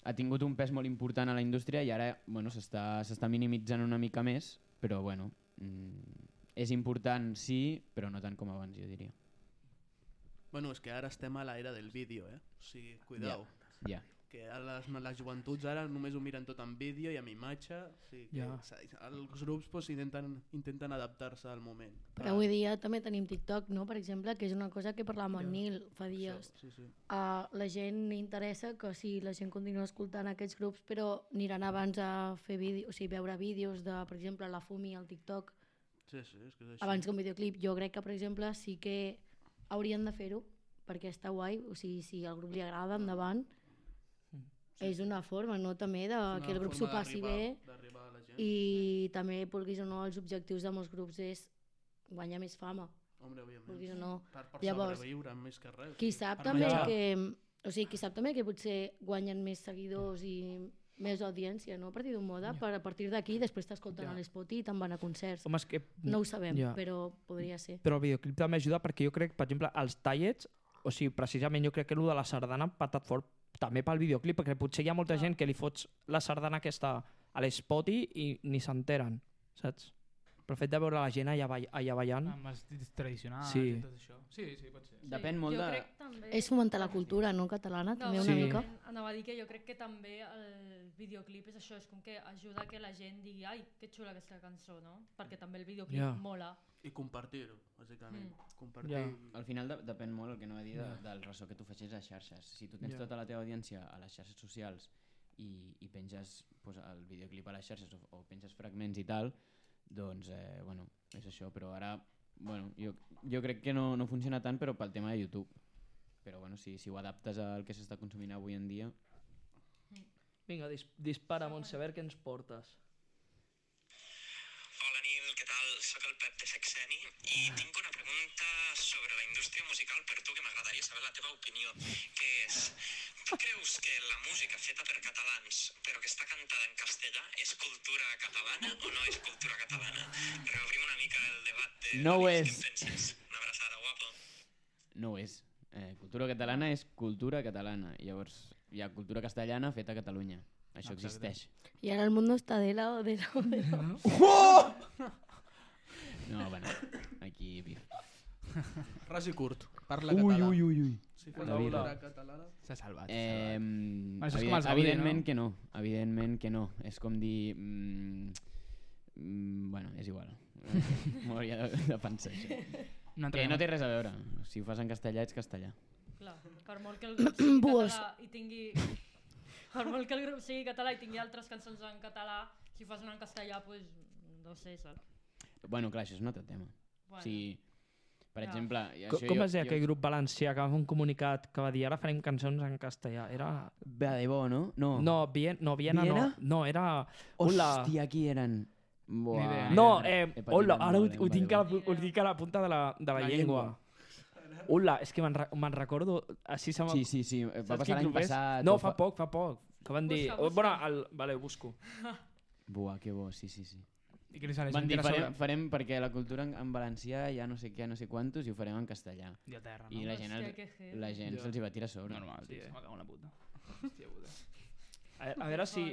ha tingut un pes molt important a la indústria i ara bueno, s'està s'està minimitzant una mica més, però bueno, mm, és important sí, però no tant com abans, jo diria. Bueno, és que ara estem a l'era del vídeo, eh? O sigui, cuidao. Ja. Que a les, les joventuts ara només ho miren tot en vídeo i amb imatge. O sigui, que Ja. s'ha- els grups pues, intenten, intenten adaptar-se al moment. Però avui dia també tenim TikTok, no? Per exemple, que és una cosa que parlàvem amb el Nil fa dies. Sí, sí. Uh, la gent li interessa que sí, la gent continua escoltant aquests grups, però aniran abans a fer vídeos, o sigui, veure vídeos de, per exemple, la Fumi al TikTok, Sí, sí, és que és així. abans que un videoclip. Jo crec que, per exemple, sí que haurien de fer-ho, perquè està guai, o sigui, si al grup li agrada, endavant. Sí. És una forma, no?, també de És una que el grup s'ho forma passi d'arribar- bé d'arribar a la gent. i també, vulguis o no, els objectius de molts grups és guanyar més fama. Hombre, òbviament. Vulguis o no. Per, per Llavors, sobreviure més que res. Qui sap Per també menjar. que, o sigui, qui sap també que potser guanyen més seguidors i més audiència, no? A partir d'un moda, per a partir d'aquí després t'escolten Ja. a l'Spot i te'n van a concerts. Home, és que... No ho sabem, Ja. però podria ser. Però el videoclip també ajuda perquè jo crec, per exemple, els tallets, o sigui, precisament jo crec que el de la sardana ha patat fort també pel videoclip, perquè potser hi ha molta gent que li fots la sardana aquesta a l'Spoti i ni s'enteren, saps? Però el fet de veure la gent allà, ball allà ballant... Amb els dits tradicionals Sí. i tot això. Sí, sí, pot ser. Depèn Sí, molt jo de... crec també... És fomentar la cultura, no?, catalana, No, també Sí. una mica. Anava a dir que jo crec que també el videoclip és això, és com que ajuda que la gent digui ai, que xula aquesta cançó, no? Perquè també el videoclip Ja. mola. I compartir-ho, bàsicament. Mm. Compartir... Ja. Al final de, depèn molt el que no va dir de, Ja. del ressò que tu facis a xarxes. Si tu tens Ja. tota la teva audiència a les xarxes socials i, i penges pues, el videoclip a les xarxes o, o penges fragments i tal, doncs, eh, bueno, és això. Però ara, bueno, jo, jo crec que no, no funciona tant, però pel tema de YouTube. Però bueno, si, si ho adaptes al que s'està consumint avui en dia... Vinga, dis dispara, Montsever, què ens portes? Hola Nil, què tal? Soc el Pep de Sexeni i tinc una pregunta sobre la indústria musical per tu que m'agradaria saber la teva opinió, que és, tu creus que la música feta per catalans però que està cantada en castellà és cultura catalana o no és cultura catalana? Reobrim una mica el debat de... No ho de és. què en penses. Una abraçada, guapo. No ho és. Eh, cultura catalana és cultura catalana. Llavors, hi ha cultura castellana feta a Catalunya. Això Exacte. existeix. Y ahora el mundo está de lado, de lado, de lado. No, bueno, aquí... Pif. Ras i curt, parla Ui, català. ui, ui, ui. Si fos La la vida. cultura catalana... S'ha salvat. Eh, Bueno, això és com evident, els Gaudí, evidentment no? que no. Evidentment que no. És com dir... Mm, mm, bueno, és igual. M'ho hauria de, de pensar, això. No Que no té res a veure. Si ho fas en castellà, ets castellà. Clar, per molt que el grup sigui Buos. català i tingui... Per molt que el grup sigui català i tingui altres cançons en català, si fas una en castellà, pues, no sé, saps? Bueno, clar, això és un altre tema. Bueno, O sigui, per Ja. exemple... i Com, això com jo- es deia jo- aquell grup valencià que va fer un comunicat que va dir ara farem cançons en castellà? Era... Va de bo, no? No. No, Vien, no Viena Viena? no. No, era... Hola. Hòstia, qui eren? Buah. idea, No, He eh, He patit hola, ara ho, molt, eh, ho, va tinc de a bo. la, pu- ho tinc a la punta de la, de la, La llengua. Hola, és que me'n re, me'n recordo... Així se m'ha... Sí, sí, sí. Va Saps passar quin l'any grup és? passat. No, o fa poc, fa poc. Que van dir... Busca, oh, bueno, busca. el, vale, ho busco. Buah, que bo, sí, sí, sí. I que li sale Van dir, sobre... farem, farem perquè la cultura en, en valencià hi ha no sé què, no sé quantos, i ho farem en castellà. I a terra, I no? la gent, Hòstia, els, que heavy. la gent Ja. se'ls hi va tirar a sobre. Normal, Sí, tio, eh. se m'acaba una puta. Hòstia puta. A, a veure si...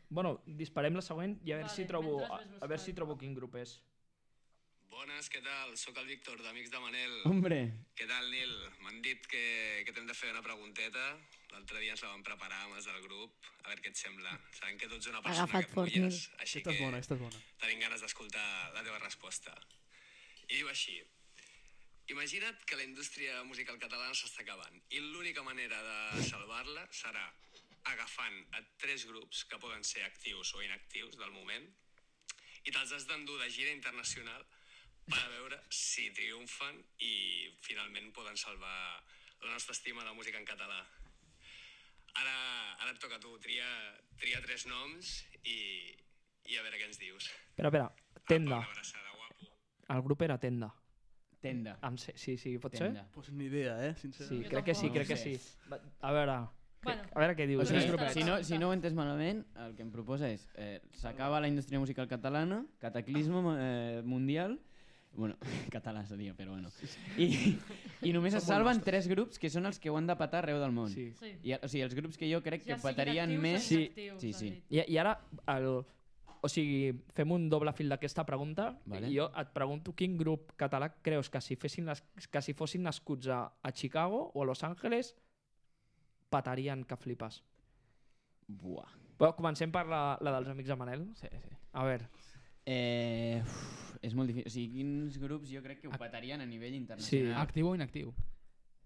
Bueno, disparem la següent i a veure Vale, si trobo... mentre A, ves a veure si buscant. trobo quin grup és. Bones, què tal? Soc el Víctor, d'Amics de Manel. Hombre, Què tal, Nil? M'han dit que, que t'hem de fer una pregunteta. L'altre dia ens la vam preparar amb els del grup. A veure què et sembla. Sabem que tu ets una persona Agafat que fort, mulles, Nil. així Aquesta és que bona, aquesta és bona. tenim ganes d'escoltar la teva resposta. I diu així. Imagina't que la indústria musical catalana s'està acabant i l'única manera de salvar-la serà agafant a tres grups que poden ser actius o inactius del moment i te'ls has d'endur de gira internacional per a veure si triomfen i finalment poden salvar la nostra estima de la música en català. Ara, ara et toca a tu, tria, tria tres noms i, i a veure què ens dius. Espera, espera, Tenda. Apa, una abraçada, guapo. El grup era Tenda. Tenda. Em sé, sí, sí, pot Tenda. ser? Pues ni idea, eh, sincerament. Sí, crec que sí, No crec que sé. sí. Va, A veure, Bueno. a veure què dius. O sigui, eh? si, no, si no ho he entès malament, el que em proposa és eh, s'acaba la indústria musical catalana, cataclisme eh, mundial, bueno, català seria, però bueno, i, i només es salven tres grups que són els que ho han de petar arreu del món. Sí. Sí. I, o sigui, els grups que jo crec que Ja siguin petarien actius o més... inactius, sí, han sí. dit. I, I ara, el, o sigui, fem un doble fil d'aquesta pregunta Vale. i jo et pregunto quin grup català creus que si, fessin les, que si fossin nascuts a, a Chicago o a Los Angeles petarien que flipes. Buah. Però comencem per la, la dels amics de Manel. Sí, sí. A veure, Eh, uf, és molt difícil. O sigui, quins grups jo crec que ho petarien a nivell internacional? Actiu o inactiu?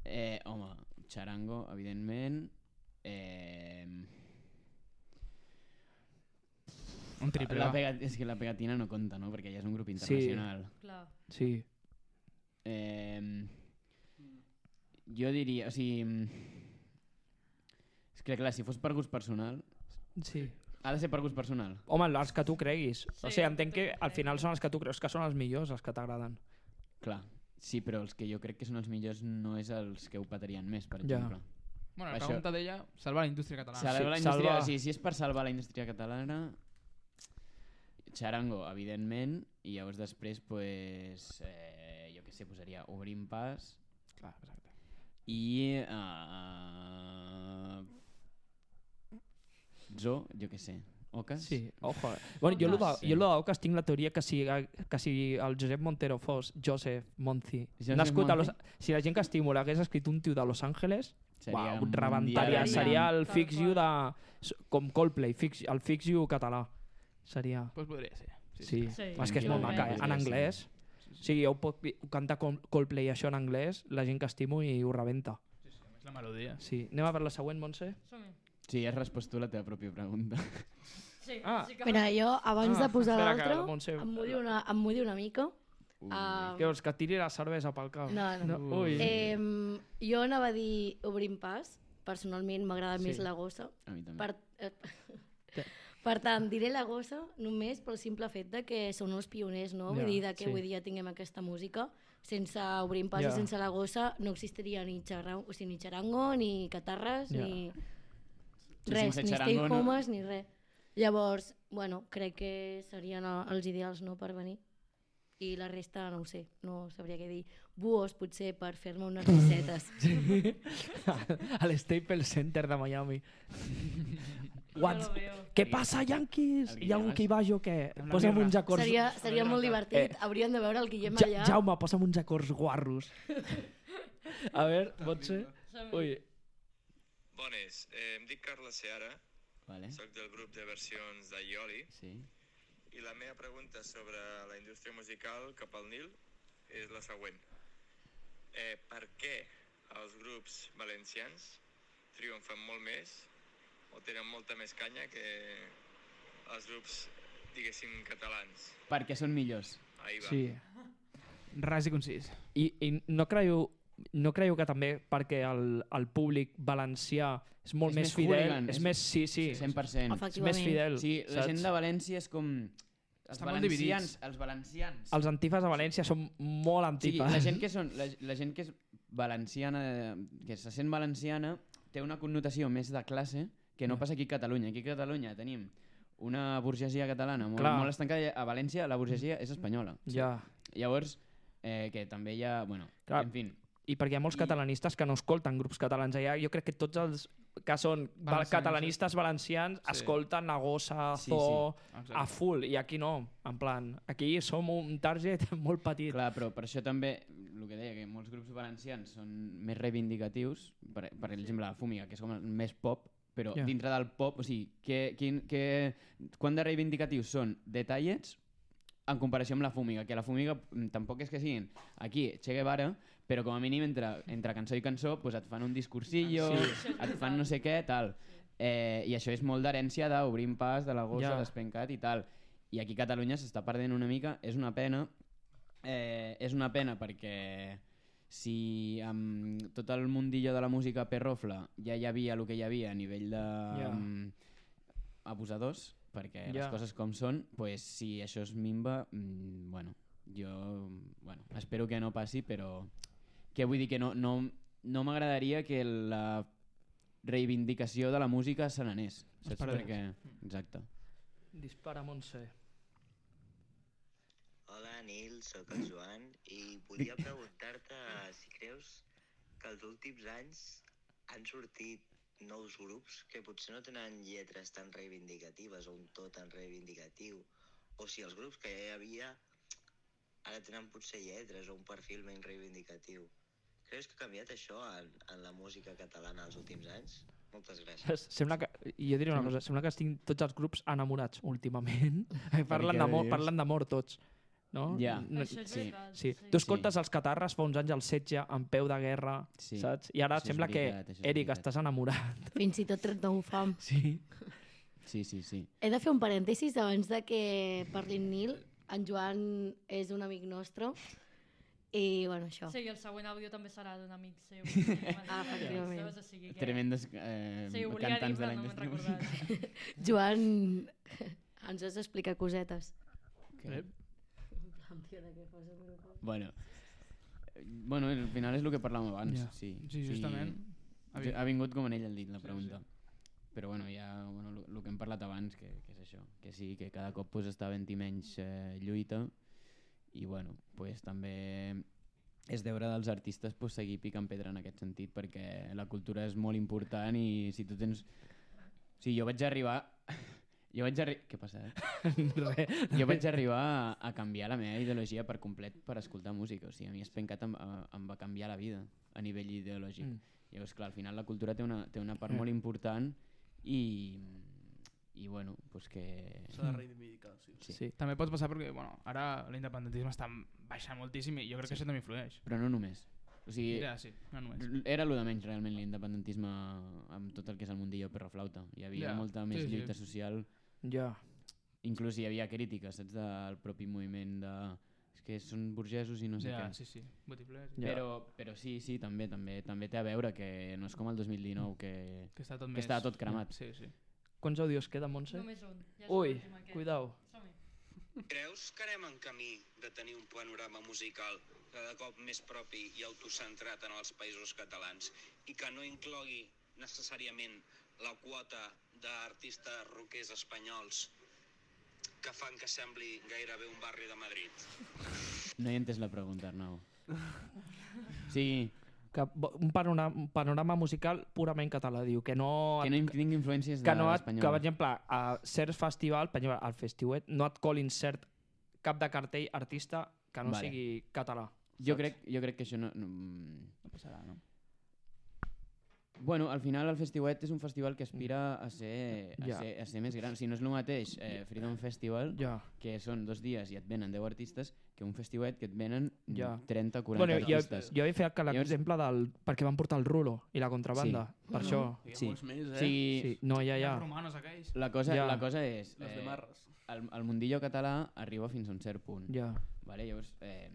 Eh, home, Charango, evidentment. Eh, Un triple. la va. pega, és que la pegatina no compta, no? Perquè ja és un grup internacional. Clar. sí. Eh, jo diria, o sigui... És que clar, si fos per gust personal... sí. Ha de ser per gust personal. Home, els que tu creguis. Sí, o sigui, els entenc que que tu al final creguis. són els que tu creus que són els millors, els que t'agraden. Clar, sí, però els que jo crec que són els millors no és els que ho petarien més, per Ja. exemple. Bueno, la Això- pregunta d'ella, salvar la indústria catalana. Salvar Sí, la indústria, salvar- o sigui, si és per salvar la indústria catalana, Charango, evidentment, i llavors després, pues, eh, jo què sé, posaria Obrim Pas Clar, exacte. i... Uh, Zo, jo què sé, Ocas? Sí, ojo. eh. Bueno, jo, lo de, Sí. jo lo d'Aucas tinc la teoria que si, que si el Josep Montero fos Joseph Monzi, Joseph nascut a Los, Monzi? si la gent que estimo l'hagués escrit un tio de Los Angeles, Seria uau, rebentaria, mundial. seria el Tal Fix qual. You de, com Coldplay, fix, el Fix You català. Seria... Pues podria ser. Sí, Sí. sí. Sí, És que és molt efectivament. maca, eh? En Podria ser. anglès. O sigui, jo puc ho canta com Coldplay això en anglès, la gent que estimo i ho rebenta. Sí, sí, a més la melodia. Sí. Anem a veure la següent, Montse? Som-hi. Sí, has respost tu la teva pròpia pregunta. Sí, Ah. sí que... Mira, jo, abans Ah, de posar espera, que l'altre, la Montse- em mullo una, em mullo una mica. Ui. Ah, Que vols que et tiri la cervesa pel cap? No, no. Ui. Eh, jo anava a dir Obrim Pas. Personalment m'agrada Sí. més la gossa. A mi també. Per, eh, per tant, diré la gossa només pel simple fet de que són els pioners, no? Ja, Vull dir, de que sí. avui dia tinguem aquesta música. Sense Obrim Pas Ja. i sense la gossa no existiria ni, xarra, o sigui, ni xarango, ni catarres, Ja. ni Sí, res, sense ni xarango stay no- homes, ni res. Llavors, bueno, crec que serien el- els ideals no per venir. I la resta no ho sé, no sabria què dir. Buos, potser, per fer-me unes risetes. A l'Staples Center de Miami. Jo What? lo veo. Què passa, Yankees? El Hi ha algú Guillem, que hi vagi o què? Amb la Posa'm birra. uns acords... Seria, seria molt divertit. Eh, Haurien de veure el Guillem Ja, allà. Jaume, posa'm uns acords guarros. A veure, pot ser? Som-hi. Ui, Bones, eh, em dic Carles Seara, Vale. soc del grup de versions de Ioli Sí. i la meva pregunta sobre la indústria musical cap al Nil és la següent. Eh, per què els grups valencians triomfen molt més o tenen molta més canya que els grups, diguéssim, catalans? Perquè són millors. Ahí va. sí. Ras i concís. I, i no creieu no creieu que també perquè el, el públic valencià és molt És més més fidel, hooligan, és és- més, sí, sí, cent per cent. és més Efectivament. fidel, Sí, la saps? gent de València és com... Els Estan molt valencians, dividits. els valencians. Els antifes de València són molt Sí, antifes. la gent que són, la, la gent que és valenciana, que se sent valenciana, té una connotació més de classe que no Ja. passa aquí a Catalunya. Aquí a Catalunya tenim una burgesia catalana molt, Clar. molt estancada. A València la burgesia és espanyola. Ja. Llavors, eh, que també hi ha... Bueno, Clar. en fi, I perquè hi ha molts I- catalanistes que no escolten grups catalans. Allà jo crec que tots els que són val- Valencians, catalanistes valencians Sí. escolten a Gossa, Sí, Zoo, Exacte. a full, i aquí no. En plan, aquí som un target molt petit. clar, però per això també, el que deia, que molts grups valencians són més reivindicatius, per, per exemple la Fúmiga, que és com el més pop, però Ja. dintre del pop, o sigui, que, quin, que, quant de reivindicatius són detallets en comparació amb la Fúmiga, que la Fúmiga mm, tampoc és que siguin aquí Che Guevara, però com a mínim entre, entre cançó i cançó pues et fan un discursillo, Sí. et fan no sé què, tal. Eh, I això és molt d'herència d'Obrim Pas, de la Gossa, Ja. d'Espencat i tal. i aquí a Catalunya s'està perdent una mica, és una pena, eh, és una pena perquè si amb tot el mundillo de la música perrofla ja hi havia el que hi havia a nivell de Ja. um, abusadors, perquè Ja. les coses com són, pues, si això es minva, mm, bueno, jo bueno, espero que no passi, però que vull dir que no, no, no m'agradaria que la reivindicació de la música se n'anés, saps? perdés. Perquè... Exacte. Dispara, Montse. Hola Nil, sóc el Joan i volia preguntar-te si creus que els últims anys han sortit nous grups que potser no tenen lletres tan reivindicatives o un to tan reivindicatiu, o si els grups que ja hi havia ara tenen potser lletres o un perfil menys reivindicatiu. Creus que ha canviat això en, en la música catalana els últims anys? Moltes gràcies. Sembla que, jo diria una cosa, sembla que estic tots els grups enamorats últimament. parlen què d'amor, dius? parlen d'amor tots. No? Ja. No, Això és sí, veritat. sí. sí. Tu escoltes els catarres fa uns anys al setge, en peu de guerra, Sí. saps? I ara Això és sembla veritat, que, això és Eric, veritat. estàs enamorat. Fins i tot trenta-u fam. Sí. Sí, sí, sí. He de fer un parèntesis abans de que parli en Nil. En Joan és un amic nostre i, bueno, això. Sí, i el següent àudio també serà d'un amic seu. Ah, efectivament. Saps? O sigui que... Tremendes eh, Sí, ho volia dir, cantants de però la no me'n indústria recordat. musical. Joan ens has d'explicar cosetes. Que- Tio, de què fas el grup? Bueno, eh, bueno, al final és el que parlàvem abans. Ja. Sí, Sí, justament. Ha, vi... ha vingut com en ell el dit, la pregunta. Però bueno, ja bueno, el que hem parlat abans, que, que és això, que sí, que cada cop pues, està havent-hi menys eh, lluita i bueno, pues, també és deure dels artistes pues, seguir picant pedra en aquest sentit, perquè la cultura és molt important i si tu tens... O sigui, jo vaig arribar... Jo vaig arri... Què passa? Eh? Res. Jo vaig arribar a, a canviar la meva ideologia per complet per escoltar música. O sigui, a mi Espencat em, em va canviar la vida a nivell ideològic. Mm. Llavors, clar, al final la cultura té una, té una part Mm. molt important i, i bueno, pues que... S'ha de reivindicar, sí. Sí. Sí. També pot passar perquè bueno, ara l'independentisme està baixant moltíssim i jo crec que això també influeix. Però no només. O sigui, Ja, sí, no només. era el de menys realment l'independentisme amb tot el que és el mundillo perroflauta. Hi havia Ja, molta més sí, sí. lluita social. Ja. Inclús hi havia crítiques, saps, del propi moviment de... És que són burgesos i no sé ja, què. sí, sí. Botiflers. Ja. Però, però sí, sí, també, també també té a veure que no és com el dos mil dinou que, Que està tot, que més... estava tot cremat. Sí, sí. Quants àudios queda, Montse? Només un. Ja és Ui, l'últim aquest. cuidao. Som-hi. Creus que anem en camí de tenir un panorama musical cada cop més propi i autocentrat en els països catalans i que no inclogui necessàriament la quota d'artistes rockers espanyols que fan que sembli gairebé un barri de Madrid? No he entès la pregunta, Arnau. Sí, Que bo- un panorama, un panorama musical purament català, diu, que no... que no hi tingui influències que, no et, d'espanyol. que per exemple, a certs festivals, per exemple, al Festiuet, no et colin cert cap de cartell artista que no Vale. sigui català. Jo saps? crec, jo crec que això no... no, mm, No passarà, no? Bueno, al final el Festiuet és un festival que aspira a ser, a Ja. ser, a ser més gran. Si no és el mateix eh, Freedom Festival, Ja. que són dos dies i et venen deu artistes, que un Festiuet que et venen mm, Ja. trenta o quaranta Bueno, jo, artistes. jo he fet que Llavors- l'exemple del... perquè van portar el rulo i la contrabanda, Sí. per això. Hi ha Sí. molts més, eh? O sigui, Sí, no, ja, Hi ha ja. els romanos aquells. la, cosa, Ja. la cosa és... Les de Marres. el, el mundillo català arriba fins a un cert punt. Ja. Vale? Llavors, eh,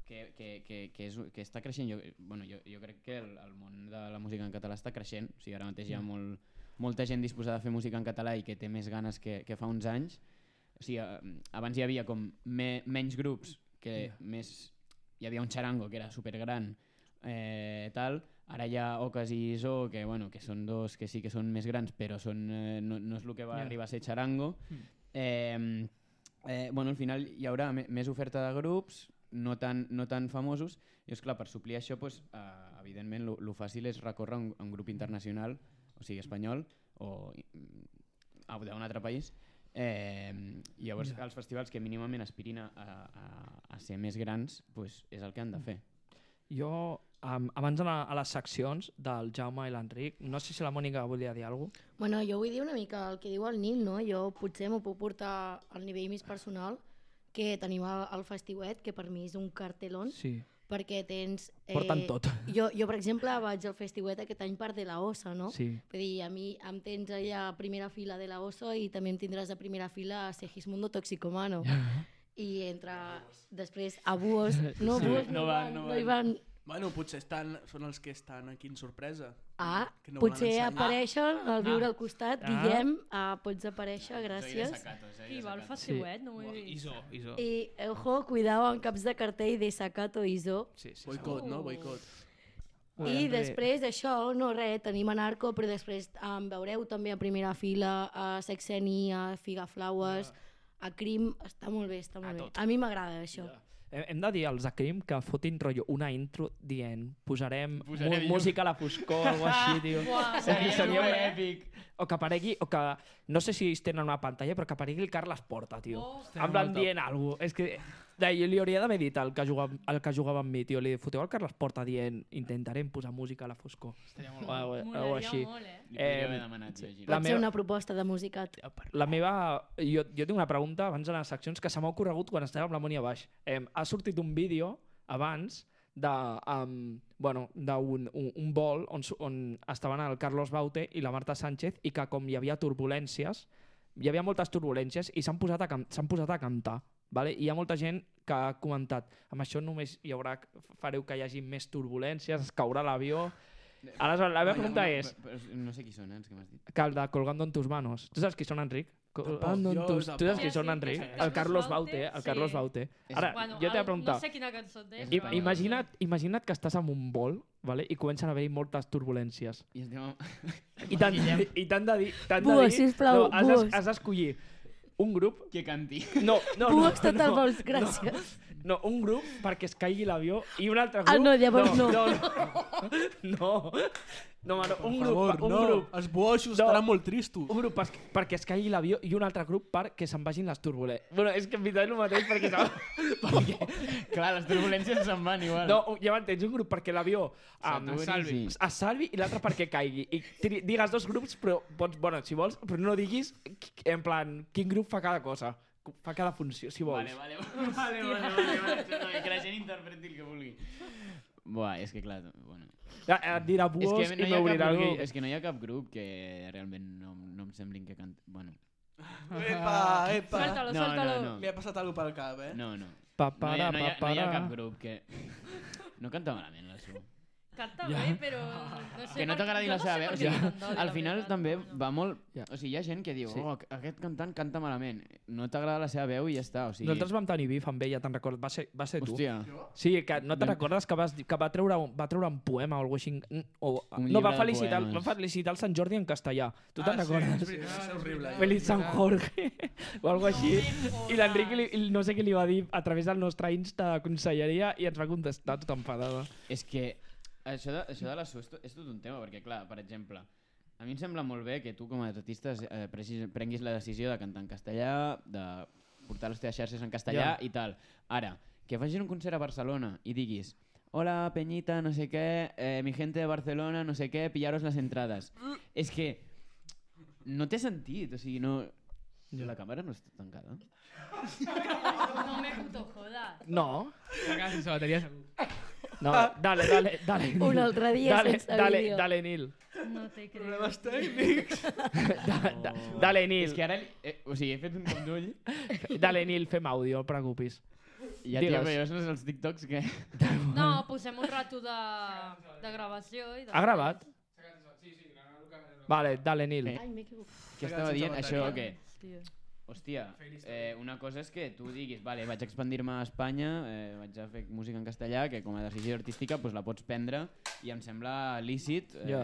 que, que, que, que, és, que està creixent. Jo, bueno, jo, jo crec que el, el món de la música en català està creixent. O sigui, ara mateix hi ha molt, molta gent disposada a fer música en català i que té més ganes que, que fa uns anys. O sigui, eh, abans hi havia com me, menys grups, que Yeah. més... Hi havia un xarango que era supergran, eh, tal. Ara hi ha Ocas i Zo, que, bueno, que són dos que sí que són més grans, però són, eh, no, no és el que va Yeah. arribar a ser xarango. Mm. Eh, eh, bueno, al final hi haurà me- més oferta de grups, no tan, no tan famosos, i és clar, per suplir això, pues, eh, evidentment, el fàcil és recórrer a un, a un grup internacional, o sigui, espanyol, o mm, a d'un altre país. Eh, i llavors Ja. els festivals que mínimament aspirin a, a, a ser més grans, pues, és el que han de fer. Jo, um, abans d'anar a les seccions del Jaume i l'Enric, no sé si la Mònica volia dir alguna cosa. Bueno, jo vull dir una mica el que diu el Nil, no? Jo potser m'ho puc portar al nivell més personal, que tenim el, el Festiuet, que per mi és un cartelón, Sí. perquè tens... Eh, Porten tot. Jo, jo, per exemple, vaig al festiuet aquest any per de la Ossa, no? Sí. Vull dir, a mi em tens allà a primera fila de la Ossa i també em tindràs a primera fila a Segismundo Toxicomano. I entre, després, a Buos... No, Sí, Buos no no, van, van, no no hi van. van... Bueno, potser estan, són els que estan aquí en sorpresa. Ah, que no potser volen ensenyar. apareixen al viure Ah. al costat. Ah. Guillem, ah, pots aparèixer, gràcies. Qui va al festiuet? No ho he vist. Iso, Iso. I, ojo, cuidao amb caps de cartell de Sacato Iso. Sí, sí, Boicot, no? Boicot. I després això, no res, tenim a Narco, però després em veureu també a primera fila a Sexeni, a Figaflaues, a Crim, està molt bé, està molt bé. A mi m'agrada això. Hem hem de dir als de Crim que fotin rotllo una intro dient posarem, Posarem mu- llum. música a la foscor o alguna així, tio. Uah, Seria, seria molt un- èpic. O que aparegui, o que no sé si ells tenen una pantalla, però que aparegui el Carles Porta, tio. Oh. En plan dient alguna cosa. És que de, jo li hauria d'haver dit al que, jugava, al que jugava amb mi, tio. Li foteu el Carles Porta dient intentarem posar música a la foscor. Estaria molt O, o, o Molaria així. molt, eh? Li podria haver Eh, demanat, Gigi. la Pot ser meva- una proposta de musicat. La meva... Jo, jo tinc una pregunta abans de les seccions que se m'ha ocorregut quan estava amb la Mònia baix. Eh, ha sortit un vídeo abans de, um, bueno, d'un un, un vol on, su- on estaven el Carlos Baute i la Marta Sánchez i que com hi havia turbulències, hi havia moltes turbulències i s'han posat, a can- s'han posat a cantar. Vale? I hi ha molta gent que ha comentat amb això només hi haurà, fareu que hi hagi més turbulències, es caurà l'avió... Aleshores, la meva pregunta és Però, però, no sé qui són, eh, els que m'has dit. que el de Colgando en tus manos. Tu saps qui són, Enric? Colgando en Jo tus... tampoc. Tu saps qui Sí, són, sí, Enric? sí. El Carlos Carlos Baute, Baute. El sí. Carlos Baute. És- Ara, Bueno, jo t'he de el- preguntar. No sé quina cançó té. És I, espanyol. imagina't, imagina't que estàs en un vol, vale? I comencen a haver-hi moltes turbulències. I estem... I t'han i t'han de dir... t'han de Buos, dir- sisplau, no, has, d'es- buos. has d'escollir un grup... Que canti. No, no, no. Buos tot el no, vols, gràcies. No, un grup perquè es caigui l'avió i un altre grup... Ah, no, llavors no. No, no. No, no, mano, un Per grup... favor, un no. grup Els boixos No. estaran molt tristos. un grup per, perquè es caigui l'avió i un altre grup perquè se'n vagin les turbulències. Bueno, és que en veritat és el mateix perquè... perquè Clar, les turbulències se'n van igual. no, ja m'entens, un grup perquè l'avió um, S'aturi, salvi. sí. es salvi i l'altre perquè caigui. I tri- digues dos grups, però pots, bueno, si vols, però no diguis qui- en plan quin grup fa cada cosa, fa cada funció, si vols. Vale, vale, vale, vale, vale, vale, vale, que la gent interpreti el que vulgui. Buah, és que clar, bueno... Ja, et dirà És buos que i no hi, ha m'obrirà cap el grup, gui- és que no hi ha cap grup que realment no, no em semblin que canta... Bueno, Epa, epa. Suéltalo, No, suéltalo. no, no. Li ha passat alguna pel cap, eh? no, no. Pa, No hi, ha, para, no, hi ha, pa, no hi ha para. cap grup que... No canta malament la Su. Canta Ja. bé, però no sé Que no per- t'agradi jo la no seva sé veu. per O què sigui, li canta bé, al la final veritat, també no. va molt... Ja. O sigui, hi ha gent que diu, Sí. oh, aquest cantant canta malament. No t'agrada la seva veu i ja està. O sigui... Nosaltres vam tenir bif amb ella, te'n recordes? Va ser, va ser tu. Hòstia. Sí, que no te'n recordes que, vas, dir- que va, treure un, va treure un poema o alguna cosa així? O, Un no, llibre va de felicitar, poemes. va felicitar el Sant Jordi en castellà. Tu te'n Ah, sí, recordes? és veritat, és és horrible. veritat. Feliç Sant Jorge o alguna cosa així. No me I l'Enric jodas. li- no sé què li va dir a través del nostre Insta de conselleria i ens va contestar tot enfadada. És que això de, això de la Su és, to, és tot un tema, perquè clar, per exemple, a mi em sembla molt bé que tu com a artista eh, prenguis, prenguis la decisió de cantar en castellà, de portar les teves xarxes en castellà Ja. i tal. Ara, que facis un concert a Barcelona i diguis hola Peñita, no sé què, eh, mi gente de Barcelona, no sé què, pillaros les entrades. És que no té sentit, o sigui, no... La càmera no està tancada? No me puto jodas. No, La casa sense bateria segur. no, dale, dale, dale. Nil. Un altre dia dale, sense dale, vídeo. Dale, Nil. No te creo. Problemes tècnics. Da, da, dale, Nil. És que ara... Eh, o sigui, he fet un cop d'ull. Dale, Nil, fem àudio, no et preocupis. Ja, Digues. tio, però jo són els TikToks que... No, posem un rato de, de gravació i... Ha gravat? Vale, dale, Nil. Eh. Ai, m'he equivocat. Què estava dient? Això que... Hòstia. Hòstia, eh, una cosa és que tu diguis, vale, vaig expandir-me a Espanya, eh, vaig a fer música en castellà, que com a decisió artística pues, la pots prendre i em sembla lícit, eh, Ja.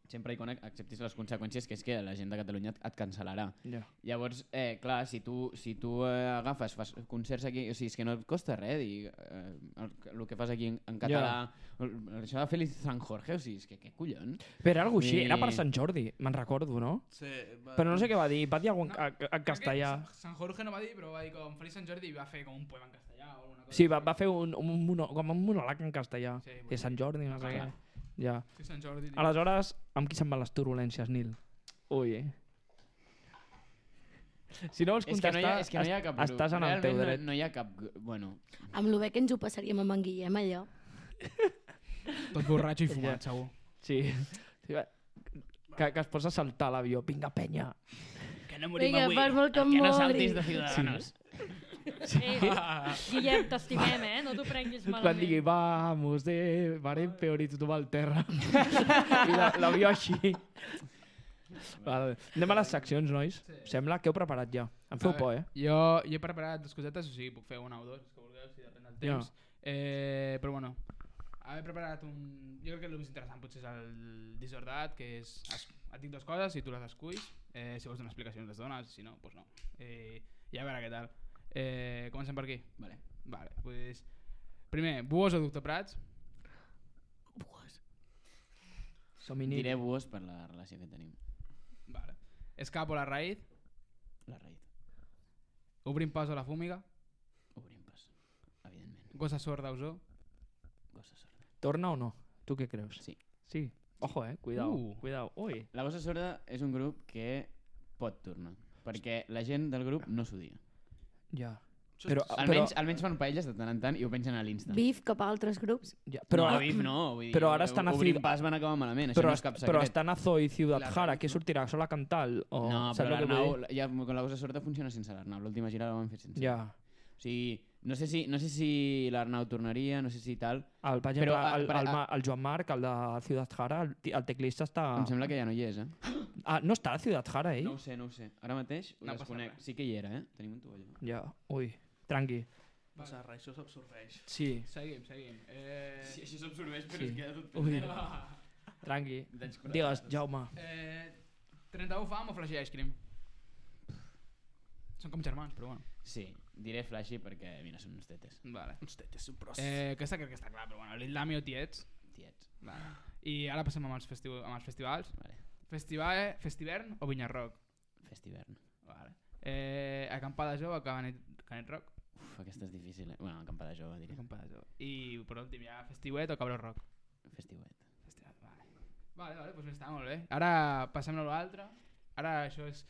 sempre i quan acceptis les conseqüències, que és que la gent de Catalunya et, et cancel·larà. Ja. Llavors, eh, clar, si tu, si tu eh, agafes, fas concerts aquí, o sigui, és que no et costa res dir eh, el, el que fas aquí en, en català, el, això de Feliz San Jorge, o sigui, és que què collons? Però era algo així, Sí. era per Sant Jordi, me'n recordo, no? Sí, va. Però no sé què va dir, va dir algun No, en, en castellà. Crec que Sant Jorge no va dir, però va dir com Feliç Sant Jordi i va fer com un poema en castellà o alguna cosa. Sí, va, va fer un, un, mono, com un monòleg en castellà. Sí, De Sant Jordi, no sé què. Clar. Ja. Sí, Sant Jordi. tio. Aleshores, amb qui se'n van les turbulències, Nil? Ui, eh? Si no vols És que no hi ha, contestar, és que no hi ha cap grup. estàs en el teu Realment dret. No, no hi ha cap... gru- Bueno, Amb lo bé que ens ho passaríem amb en Guillem, allò. Tot borratxo i fumat, segur. Sí. Sí, va. Que, que es posa a saltar a l'avió. Vinga, penya. Que no Vinga, fas molt que em que no mori. saltis de Ciudadanos. Eh, Guillem, t'estimem, eh? No t'ho prenguis Quan malament. digui, vamos, de... Varem peor i tothom al terra. I la- l'avió així. Vale. Anem a les seccions, nois. Sembla que heu preparat ja. Em feu A por, veure, eh? Jo, jo he preparat dues cosetes, o sigui, puc fer una o dues, que vulgueu, si depèn del temps. Eh, però bueno, he preparat un... Jo crec que el més interessant potser és el Disordat, que és... es- Et dic dues coses i tu les esculls. Eh, si vols donar explicacions les dones, si no, doncs no. Eh, I a veure què tal. Eh, comencem per aquí? Vale. Vale, pues... Primer, Buos o Doctor Prats? Som Diré Buos per la relació que tenim. Vale. Escapo la raïz? La raïz. Obrim pas o la fúmiga? Obrim pas, evidentment. Gossa sorda o zoo? Gossa sorda. Torna o no? Tu què creus? Sí. Sí. Ojo, eh? Cuidao. Uh. Cuidao. Ui. La Gossa sorda és un grup que pot tornar, perquè la gent del grup no s'odia. Ja. Això Però, és- Almenys, almenys fan paelles de tant en tant i ho pengen a l'Insta. Bif cap a altres grups. ja. Però Però, no, Bif no, vull dir, però ara estan a Obrim Cid- pas van acabar malament, això però, no és cap però secret. estan a Zoo i Ciudad La Jara. raïz, Què no? sortirà? Sol a cantar? O... No, saps però el que vull l'Arnau, dir? ja, con la Gossa sorda funciona sense l'Arnau. L'última gira la van fer sense. Ja. O sigui, no sé si, no sé si l'Arnau tornaria, no sé si tal. El, per exemple, Però, ah, el, per- el, ah. Ma- el Joan Marc, el de Ciudad Jara, el, ti- el teclista està... Em sembla que ja no hi és, eh? Ah, no està a Ciudad Jara, ell? No ho sé, no ho sé. Ara mateix ho No passa desconec. res. Sí que hi era, eh? Tenim un tovalló. Ja. Ui. Tranqui. Passa res, això s'absorbeix. Sí. Seguim, seguim. Eh... Sí, això s'absorbeix, però Sí. es queda tot Ui. pendent. Tranqui. D'anys quaranta. Digues, Jaume. Eh, trenta-u fam o flash ice cream? Són com germans, però bueno. Sí, diré flashy perquè, mira, són uns tetes. Vale. Uns tetes, un pros. Eh, aquesta crec que està clar, però bueno, l'Ildami o Tiets. Tiets. Vale. I ara passem amb els, festiu amb els festivals. Vale. Festival, Festivern o Vinyarroc? Festivern. Vale. Eh, acampada jove o Canet, Canet Rock? Uf, aquesta és difícil, eh? Bueno, acampada jove, diré. Acampada jove. I per últim ja Festiuet o Cabró Rock? Festiuet. Festiuet, vale. Vale, vale, doncs està molt bé. Ara passem a l'altre. Ara això és...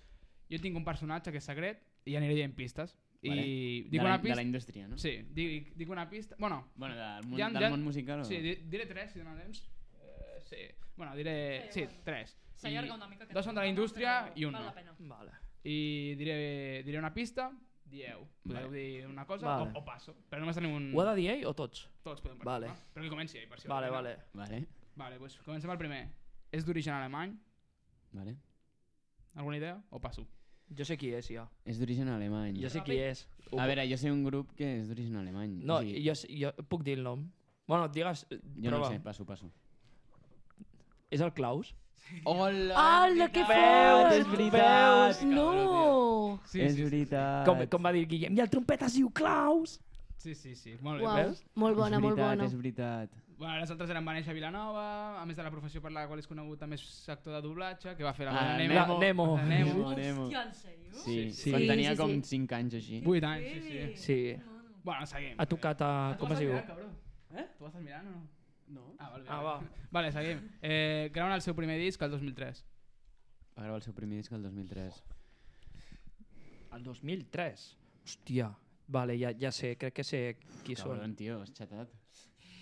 Jo tinc un personatge que és secret i aniré dient pistes. Vale. I De dic la, una de pista... la indústria, no? Sí, dic, dic una pista... Bueno, Bueno, del món, Ja- del ja- món musical o... sí, di- diré tres, si dona temps. Eh, sí. Bueno, diré... Sí, tres. S'allarga I una mica. aquest dos són de la programa, indústria però i un val no. la pena. Vale. I diré, diré una pista, dieu. Podeu Vale. dir una cosa Vale. o, o passo. Però només tenim un... Ho ha de dir ell o tots? Tots podem Vale. participar. Però que comenci ell, per si Vale, vol, vale. Vale, Vale, doncs comencem el primer. És d'origen alemany? vale. Alguna idea? O passo? Jo sé qui és, ja. És d'origen alemany. Jo sé qui és. Ho A puc- veure, jo sé un grup que és d'origen alemany. No, o sigui, jo, sé- jo puc dir el nom. Bueno, digues... jo no prova. ho sé, passo, passo. És el Klaus? Hola! Hola, que Veus, és fort! veritat. No! Sí, és sí, sí. veritat. Com, com va dir el Guillem? I el trompeta es diu Klaus! Sí, sí, sí. Molt bé. Uau, veus? molt bona, és molt veritat, bona. És veritat. Bueno, les altres eren va néixer a Vilanova, a més de la professió per la qual és conegut també és actor de doblatge, que va fer la Ah, ah, Nemo. Nemo. Nemo. Nemo. Nemo. Hòstia, en sèrio? Sí, Sí, quan sí, tenia sí, com sí. cinc anys així. Vuit anys, sí, sí. Sí. Bueno, seguim. Ha tocat a... Ah, tu Com es estàs diu? mirant, cabró? Eh? Tu estàs mirant o no? No? Ah, vale, Ah, vale. va. Vale, seguim. Eh, graven el seu primer disc el dos mil tres. Va gravar el seu primer disc el dos mil tres. El dos mil tres. Hòstia. Vale, ja, ja sé, crec que sé qui són. Cabron, tio, has xatat.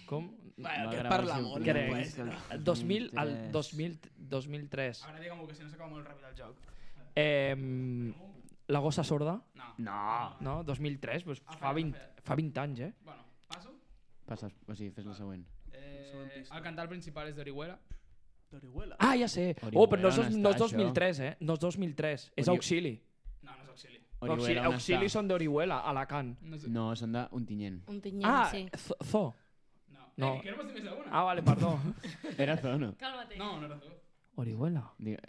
Com? Va, Va aquest gravar parla el seu molt, primer no disc puede el El dos mil, el tres. dos mil, dos mil tres. Ara digue-m'ho, que si no s'acaba molt ràpid el joc. Eh, la gossa sorda? No. No! No? dos mil tres? Pues Ah, fa, fallat, vint, fallat. fa vint anys, eh? Bueno, passo. Passa, o sigui, fes la següent. Següent Eh, pista. el cantant principal és d'Orihuela. D'Orihuela. Ah, ja sé. Orihuela, Oh, però no és, on dos- està no és dos mil això? tres, eh? No és dos mil tres. És Ori- Auxili. No, no és auxili. Auxili, Orihuela, on Auxili està? són d'Orihuela, a Alacant. No, sé. No, són d'Ontinyent. Un tinyent, Ah, sí. Zo- Zo. no. No. Eh, que no m'estic més d'una. Ah, vale, perdó. Era Zono. Cálmate. No, no era tu. Orihuela. Digue-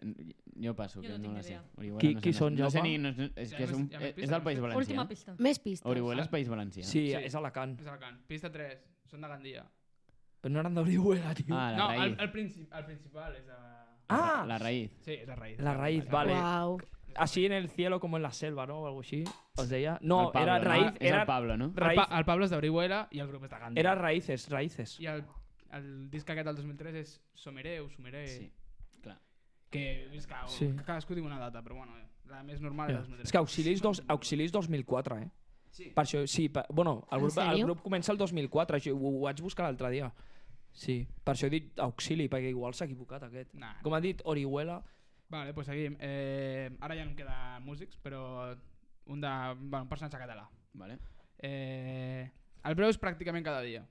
Jo passo, Jo que no no, tinc la ni sé. idea. Orihuela Qui- no qui sé, són, no sé Jaume? ni, no, és, Ja que és, més- un, ja més és, pistes, del País no sé. Valencià. Última pista. Més pistes. Orihuela és País Valencià. Sí, Sí. és Alacant. És Alacant. Pista tres. Són de Gandia. Però no eren d'Orihuela, tio. Ah, la no, el, raïz. el, princip, el principal és de... Ah! La raïz. Sí, és la raïz. La raïz, vale. Uau. Así en el cielo como en la selva, ¿no? O algo así. ¿Os deia? No, El Pablo, era no? raíz. És Era, el Pablo, no? El, raíz, pa, el Pablo és d'Orihuela i el grup és de Gandia. era raíces, raíces. I el, el disc aquest del dos mil tres és Somereu, Somereu... Sí, clar. Que, és que, Sí. que cadascú diu una data, però bueno, la més normal Ja. és dos mil tres. És que Auxilis, dos, Auxilis dos mil quatre, eh? Sí. Per això, sí, per, bueno, el En grup, el sèrio? grup comença el dos mil quatre, això, ho, ho vaig buscar l'altre dia. Sí, per això he dit Auxili, perquè igual s'ha equivocat aquest. Nah. Com ha dit Orihuela, Vale, doncs seguim. Eh, ara ja no em queda músics, però un, de, bueno, un personatge català. Vale. Eh, el veus pràcticament cada dia.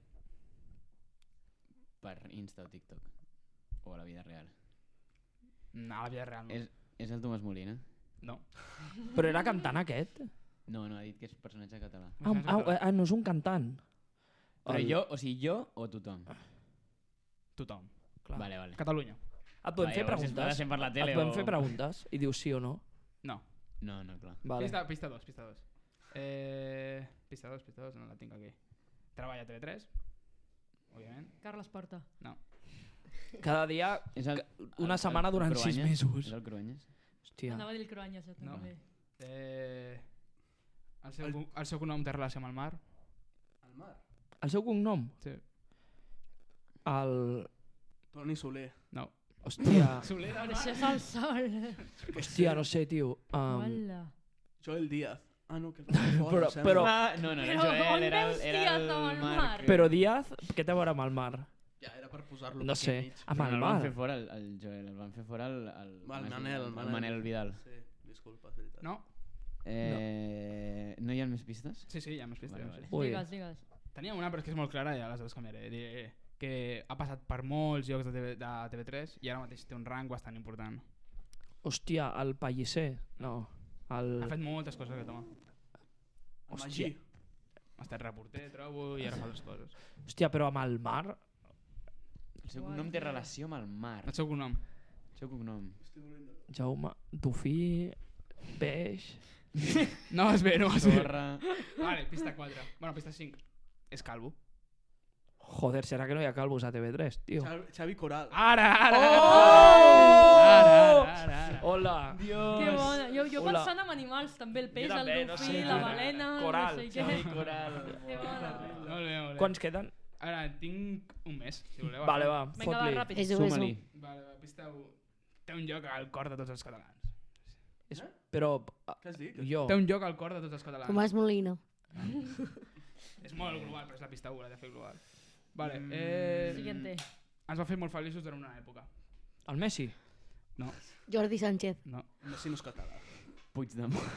Per Insta o TikTok. O a la vida real. No, a la vida real no. És, és el Tomàs Molina? No. però era cantant aquest? No, no, ha dit que és personatge català. Ah, ah, ah, no és un cantant. Però El- jo, o sigui, jo o tothom? Tothom. Clar. Vale, vale. Catalunya. Et podem Va, fer llavors, si es preguntes? fa per la tele Et podem o- fer preguntes i dius sí o no? No. No, no, clar. Vale. Pista, pista dos, pista dos. Eh, pista dos, pista dos, no la tinc aquí. Treballa a T V tres, òbviament. Carles Porta. No. Cada dia, És el, una el- setmana el durant sis Cruanyes? mesos. És el Cruanyes? Hòstia. Anava a dir el Cruanyes, jo No. també. Eh, el, seu, el... el seu cognom té relació amb el mar? Al mar. El seu cognom? Sí. El... Toni Soler. No. Hòstia. Soler del Però mar? això és el sol. Hòstia, no sé, tio. Um, Hola. Joel Díaz. Ah, no, que va fora, Però- em sembla. però- Ah, no, no, era Però Joel, on era, veus el- era Díaz el amb el Marc. mar? Però Díaz, què té a veure amb el mar? Ja, era per posar-lo No aquí sé, enmig. amb Però el no el van mar. fer fora el, el Joel, el van fer fora el... El, El Mas- Manel, el el Manel. Manel Vidal. Sí, disculpa, és veritat. No? Eh, no. no hi ha més pistes? Sí, sí, hi ha més pistes. Vale, Vale, vale. Ui. Digues, digues. Tenia una, però és que és molt clara i ja les dues canviaré. Diré que ha passat per molts llocs de, TV, de T V tres i ara mateix té un rang bastant important. Hòstia, el Pellicer. No. El... Ha fet moltes coses aquest home. El Hòstia. Magí. Ha estat reporter, trobo, i ara fa altres coses. Hòstia, però amb el mar... El seu cognom té relació amb el mar. El seu cognom. El seu cognom. Jaume, Dofí, Peix... No vas bé, no vas bé. Torra... Vale, pista quatre. Bueno, pista cinc. És calvo. Joder, serà que no hi ha calvos a T V tres, tio? Xavi, Xavi Coral. Ara, ara, Oh! ara, ara, ara, ara. Hola! Que bona. Jo, jo Hola. pensant en animals, també el peix, Jo també, el no dofí, sé, la tio. balena, Coral, no sé Xavi què. Coral. Que bona. Molt bé, molt bé. Quants queden? Ara, tinc un mes, si voleu. Vale, va, Vinga, va, fot-li. ràpid. És Suma-li. Vale, va, pista u. Té un lloc al cor de tots els catalans. És- Però... ah, Què has dit? Jo... Té un lloc al cor de tots els catalans. Tomàs Molina. És molt global, però és la pista u, la de fer global. Vale, eh... Siguiente. Ens va fer molt feliços durant una època. El Messi? No, Jordi Sánchez. no. Messi no és català. Puigdemont.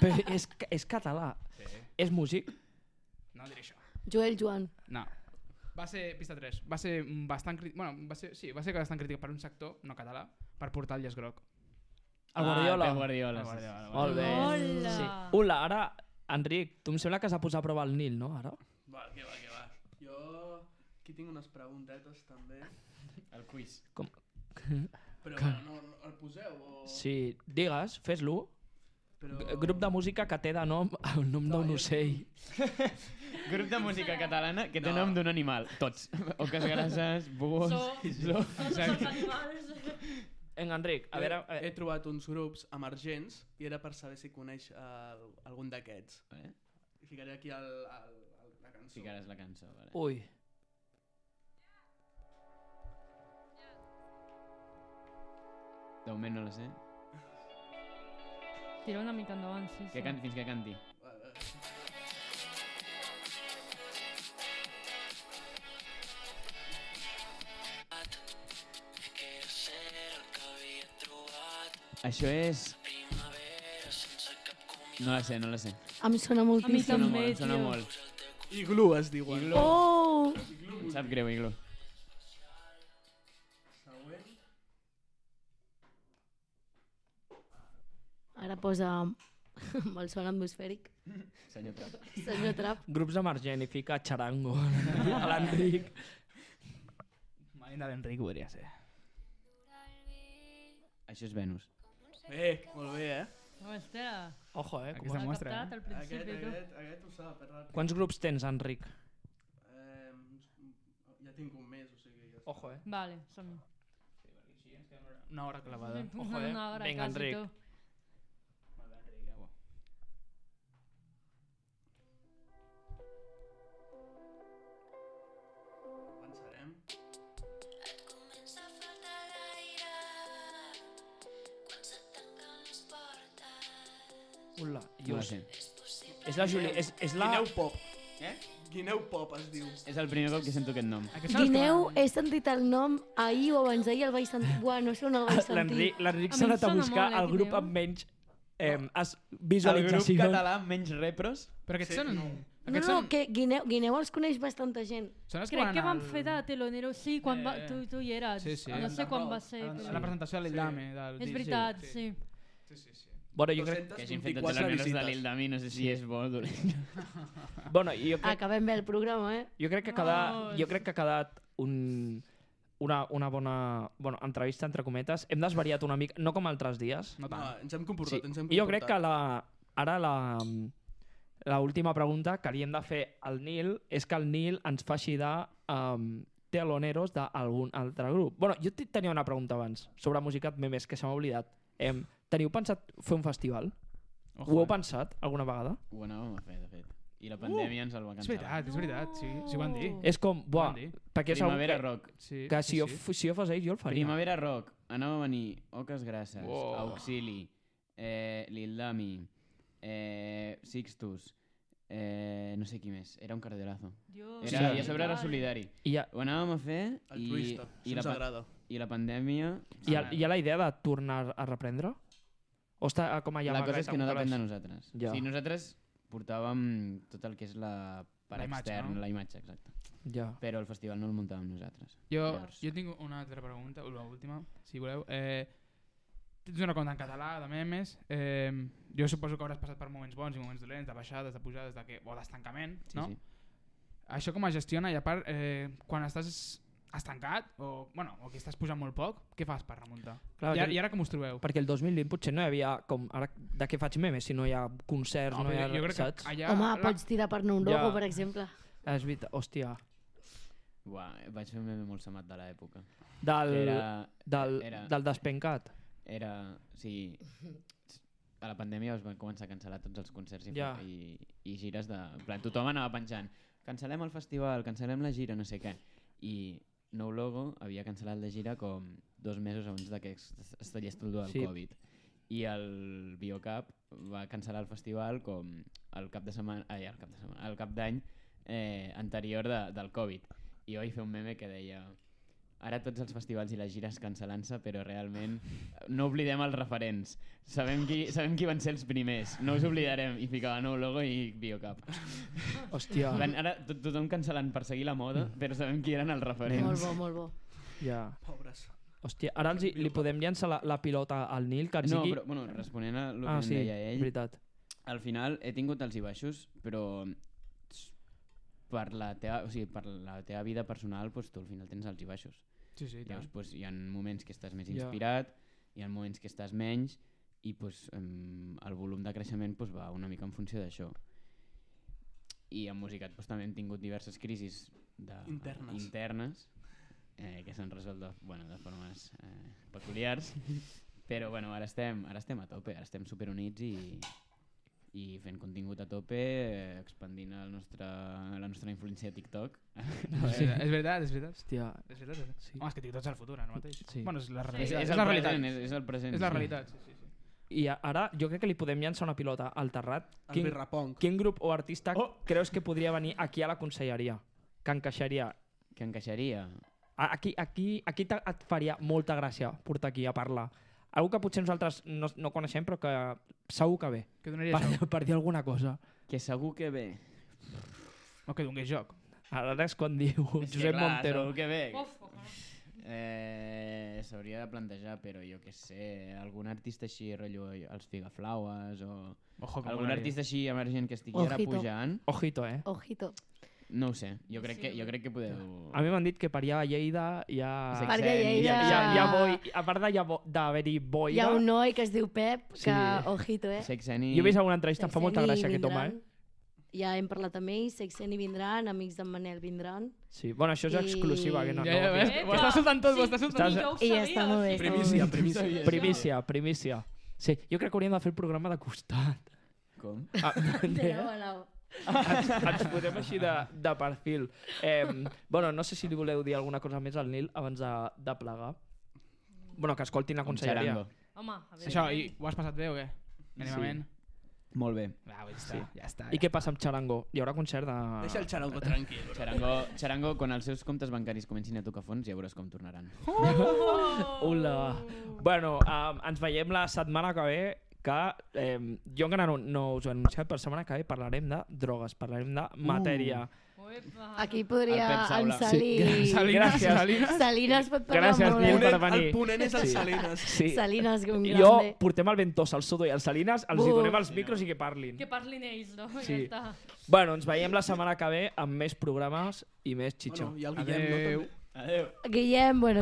Però és, és català. Sí. És músic? No diré això. Joel Joan. No. Va ser, pista tres, va ser bastant crític, bueno, va ser, sí, va ser bastant crític per un sector no català per portar el llaç groc. El Guardiola? Ah, Pep Guardiola. El sí, sí. Guardiola, Molt bé. Hola. Sí. Hola, ara, Enric, tu em sembla que s'ha posat a prova el Nil, no, ara? Va, que va, que va. Jo aquí tinc unes preguntetes també. El quiz. Com... Però bueno, no, no, el poseu o... Sí, digues, fes-lo. Però... G- Grup de música que té de nom el nom d'un jo- ocell. Grup de música catalana que té No. nom d'un animal. Tots. Oques grasses, búhos... So, Zo. tots els animals. Vinga, Enric, a veure... He Eh, trobat uns grups emergents i era per saber si coneix uh, algun d'aquests. Vale. Ficaré aquí el, el, el, la cançó. Ficaràs la cançó, vale. ui, De moment no la sé. Tira una mica endavant, sí, Que sí. canti, fins que canti. Vale. Això és... No la sé, no la sé. Em sona A mi moltíssim. Sona també, molt, em sona tio. molt. Iglú es diuen. Iglú. Oh! Em sap greu, Iglo. Següent. Ara posa amb el son atmosfèric. Senyor Trap. Senyor Trap. grups emergent i fica xarango a l'Enric. Marina d'Enric podria ser. Això és Venus. Bé, molt bé, eh? Hòstia, Ojo, eh? Com... Aquesta m'ha mostra, captat eh? al Aquest, principi, tu. aquest, aquest ho sap, és ràpid. Quants grups tens, Enric? Eh, ja tinc un mes, o sigui... Ja Ojo, eh? Vale, som-hi. Una hora clavada. Ojo, eh? Una hora, Vinga, quasi, Enric. tu. Molt bé, Enric, ja, bo. Avançarem. Ula, No just. sé. És la Juli... És, és la... Guineu Pop. Eh? Guineu Pop es diu. És el primer cop que sento aquest nom. Guineu, he sentit el nom ahir o abans d'ahir, el vaig sentir. Buah, no sé on el vaig sentir. L'Enric l'Enric A mi s'ha em anat a sona buscar molt, eh, el grup Guineu. amb menys eh, es- El grup visualitzacions. català amb menys repros. Però aquests Sí, són... no. No, Aquests no, són... que Guineu, Guineu els coneix bastanta gent. Són els que Crec van que van al- fer de telonero, sí, quan va, Eh, tu, tu hi eres. sí, sí. No sé quan va ser. a Però... la presentació de l'Ildame. del És disc. veritat, sí. Sí, sí, sí. Bueno, jo crec, Que hagin fet de dos cents i vint-i-quatre teloneros de visites. l'Ildami, no sé si és bo o dolent. bueno, jo crec, Acabem bé el programa, eh? jo crec que ha quedat, No, jo crec que ha quedat un, una, una bona bueno, entrevista, entre cometes. Hem desvariat una mica, no com altres dies. No No, tant. ens hem comportat, Sí. ens hem I jo crec comportat. que la, ara la, la última pregunta que li hem de fer al Nil és que el Nil ens faci de um, teloneros d'algun altre grup. Bueno, jo te- tenia una pregunta abans sobre Musicat Memes, que se m'ha oblidat. Em, teniu pensat fer un festival? Ojo, Ho heu eh? pensat alguna vegada? Ho anàvem a fer, de fet. I la pandèmia ens el va És cancel·lar. veritat, és veritat, sí, sí ho van dir. És com, buah, Van dir. perquè segur Primavera que, Rock. Sí, que sí, si, jo, sí. f- si jo fos ell, jo el faria. Primavera Rock. Anava a venir Oques Grasses, Wow. Auxili, eh, Lildami, eh, Sixtus, eh, no sé qui més. Era un cardiolazo. Dios, Era, Sí. I a sobre era solidari. I hi ha, Ho anàvem a fer i, Altruista, i, això la, ens pa- agrada. i la pandèmia... hi, ha, hi ha la idea de tornar a reprendre? O està com allà La amagat cosa és que no amb depèn de calaix? nosaltres. Ja. Sí, nosaltres portàvem tot el que és la part La imatge, externa, no? la imatge, exacte. Ja. Però el festival no el muntàvem nosaltres. Jo, Llavors. jo tinc una altra pregunta, o l'última, si voleu. Eh, tens una compte en català, de memes. Eh, jo suposo que hauràs passat per moments bons i moments dolents, de baixades, de pujades, de que, o d'estancament, Sí, no? sí. Això com es gestiona i a part, eh, quan estàs estancat o, bueno, o que estàs pujant molt poc, què fas per remuntar? Clar, I, ara, que- I ara com us trobeu? Perquè el dos mil vint potser no hi havia com ara de què faig memes si no hi ha concerts, no, però hi ha, jo crec saps? que allà... Home, la- pots tirar per anar un logo, Ja. per exemple. És veritat, hòstia. Uà, vaig fer un meme molt semat de l'època. Del, Que Era, del, era, del despencat. era, sí, a la pandèmia es van començar a cancel·lar tots els concerts i, Ja. i, i gires de... En plan, tothom anava penjant, cancel·lem el festival, cancel·lem la gira, no sé què. I Nou Logo havia cancel·lat la gira com dos mesos abans de que es, es tallés tot el del Sí. Covid. I el Biocap va cancel·lar el festival com el cap de setmana, ai, el cap de setmana, el cap d'any eh, anterior de, del Covid. I jo vaig fer un meme que deia ara tots els festivals i les gires cancel·lant-se, però realment no oblidem els referents. Sabem qui, sabem qui van ser els primers, no us oblidarem. I ficava Nou Logo i Biocap. Hòstia. Van, ara tot, tothom cancel·lant per seguir la moda, però sabem qui eren els referents. Molt bo, molt bo. Ja. Pobres. Hòstia, ara els, hi- li podem llançar la, la pilota al Nil, que ens No, digui... però bueno, responent a el que ah, em sí, deia ell, veritat. al final he tingut alts i baixos, però per la teva, o sigui, per la teva vida personal pues, tu al final tens alts i baixos. Sí, sí, i tant. Llavors, pues, hi ha moments que estàs més Ja. inspirat, hi ha moments que estàs menys i pues, em, el volum de creixement pues, va una mica en funció d'això. I en Musicat pues, també hem tingut diverses crisis de, Internes. internes eh, que s'han resolt de, bueno, de formes eh, peculiars, però bueno, ara, estem, ara estem a tope, ara estem superunits i, i fent contingut a tope, eh, expandint el nostre, la nostra influència a TikTok. Sí. És veritat, és veritat. Hòstia, És veritat, és veritat. Sí. Home, és que TikTok és el futur, ara mateix. Sí. Bueno, és la És, realitat. és, és, el la realitat. present, és, és el present. És la sí. realitat, sí, sí. sí. i a- ara jo crec que li podem llançar una pilota al Terrat. El Quin, Birrapong. quin grup o artista Oh! creus que podria venir aquí a la conselleria? Que encaixaria? Que encaixaria. A- Aquí, aquí, aquí te- et faria molta gràcia portar aquí a parlar. Algú que potser nosaltres no, no coneixem però que segur que ve. Què donaria Per, joc? per dir alguna cosa. Que segur que ve. No, que donés joc. Ara és quan diu És que Josep clar, Montero. Segur que ve. Uf, ojalà. Eh, S'hauria de plantejar, però jo què sé, algun artista així, rotllo els Figaflaues o Ojo, com algun molaria. artista així emergent que estigui ara Ojito. pujant, Ojito, eh? Ojito. no ho sé, jo crec, Sí. que, jo crec que podeu... A mi m'han dit que per allà a Lleida hi ha... Sexeni. Perquè a Hi Lleida ha, hi ha, hi ha boi, a part d'hi ha bo- d'haver-hi hi boira, ha un noi que es diu Pep, que, Sí. ojito, eh? Sexeni... jo he vist alguna entrevista, em fa molta Sexeni gràcia aquest home, vindran. eh? Ja hem parlat amb ells, Sexeni vindran, amics d'en Manel vindran. Sí. Bueno, això és I- exclusiva, que no, Ja, no ja ho ves, dic. ho estàs soltant tot, ho estàs soltant Estàs- I jo ho I ja sabia, està molt bé. sí. està molt Primícia, bé. primícia. Primícia, primícia. Sí, jo crec que hauríem de fer el programa de costat. Com? Ah, De nou a nou. ens, ens posem així de, de perfil. Eh, bueno, no sé si li voleu dir alguna cosa més al Nil abans de, de plegar. Bueno, que escoltin la Un conselleria. xarango. Home, a veure. Això, i ho has passat bé o què? Mínimament. Molt bé. Va, ja està, Sí. ja està. I què passa amb Charango? Hi haurà concert de... Deixa el Charango tranquil. Bro. Charango, Charango, quan els seus comptes bancaris comencin a tocar fons, ja veuràs com tornaran. Oh! Ula. Bueno, um, ens veiem la setmana que ve, que eh, jo encara no, no us ho he anunciat, però la setmana que ve parlarem de drogues, parlarem de matèria. Uepa. Aquí podria El Pep Saula. en Salí... Sí. Salines, Gràcies. Salines. Salines pot parlar Gràcies, molt Nil, bé. per venir. El ponent és el Sí. Salines. Sí. Salines, com Jo grande. portem el Ventosa, el Sodo i el Salines, els hi Buf. donem els micros i que parlin. Que parlin ells, no? Sí. Ja està. Bueno, ens veiem la setmana que ve amb més programes i més xitxa. Bueno, i el Guillem, no? Adeu. També. Adéu. Guillem, bueno,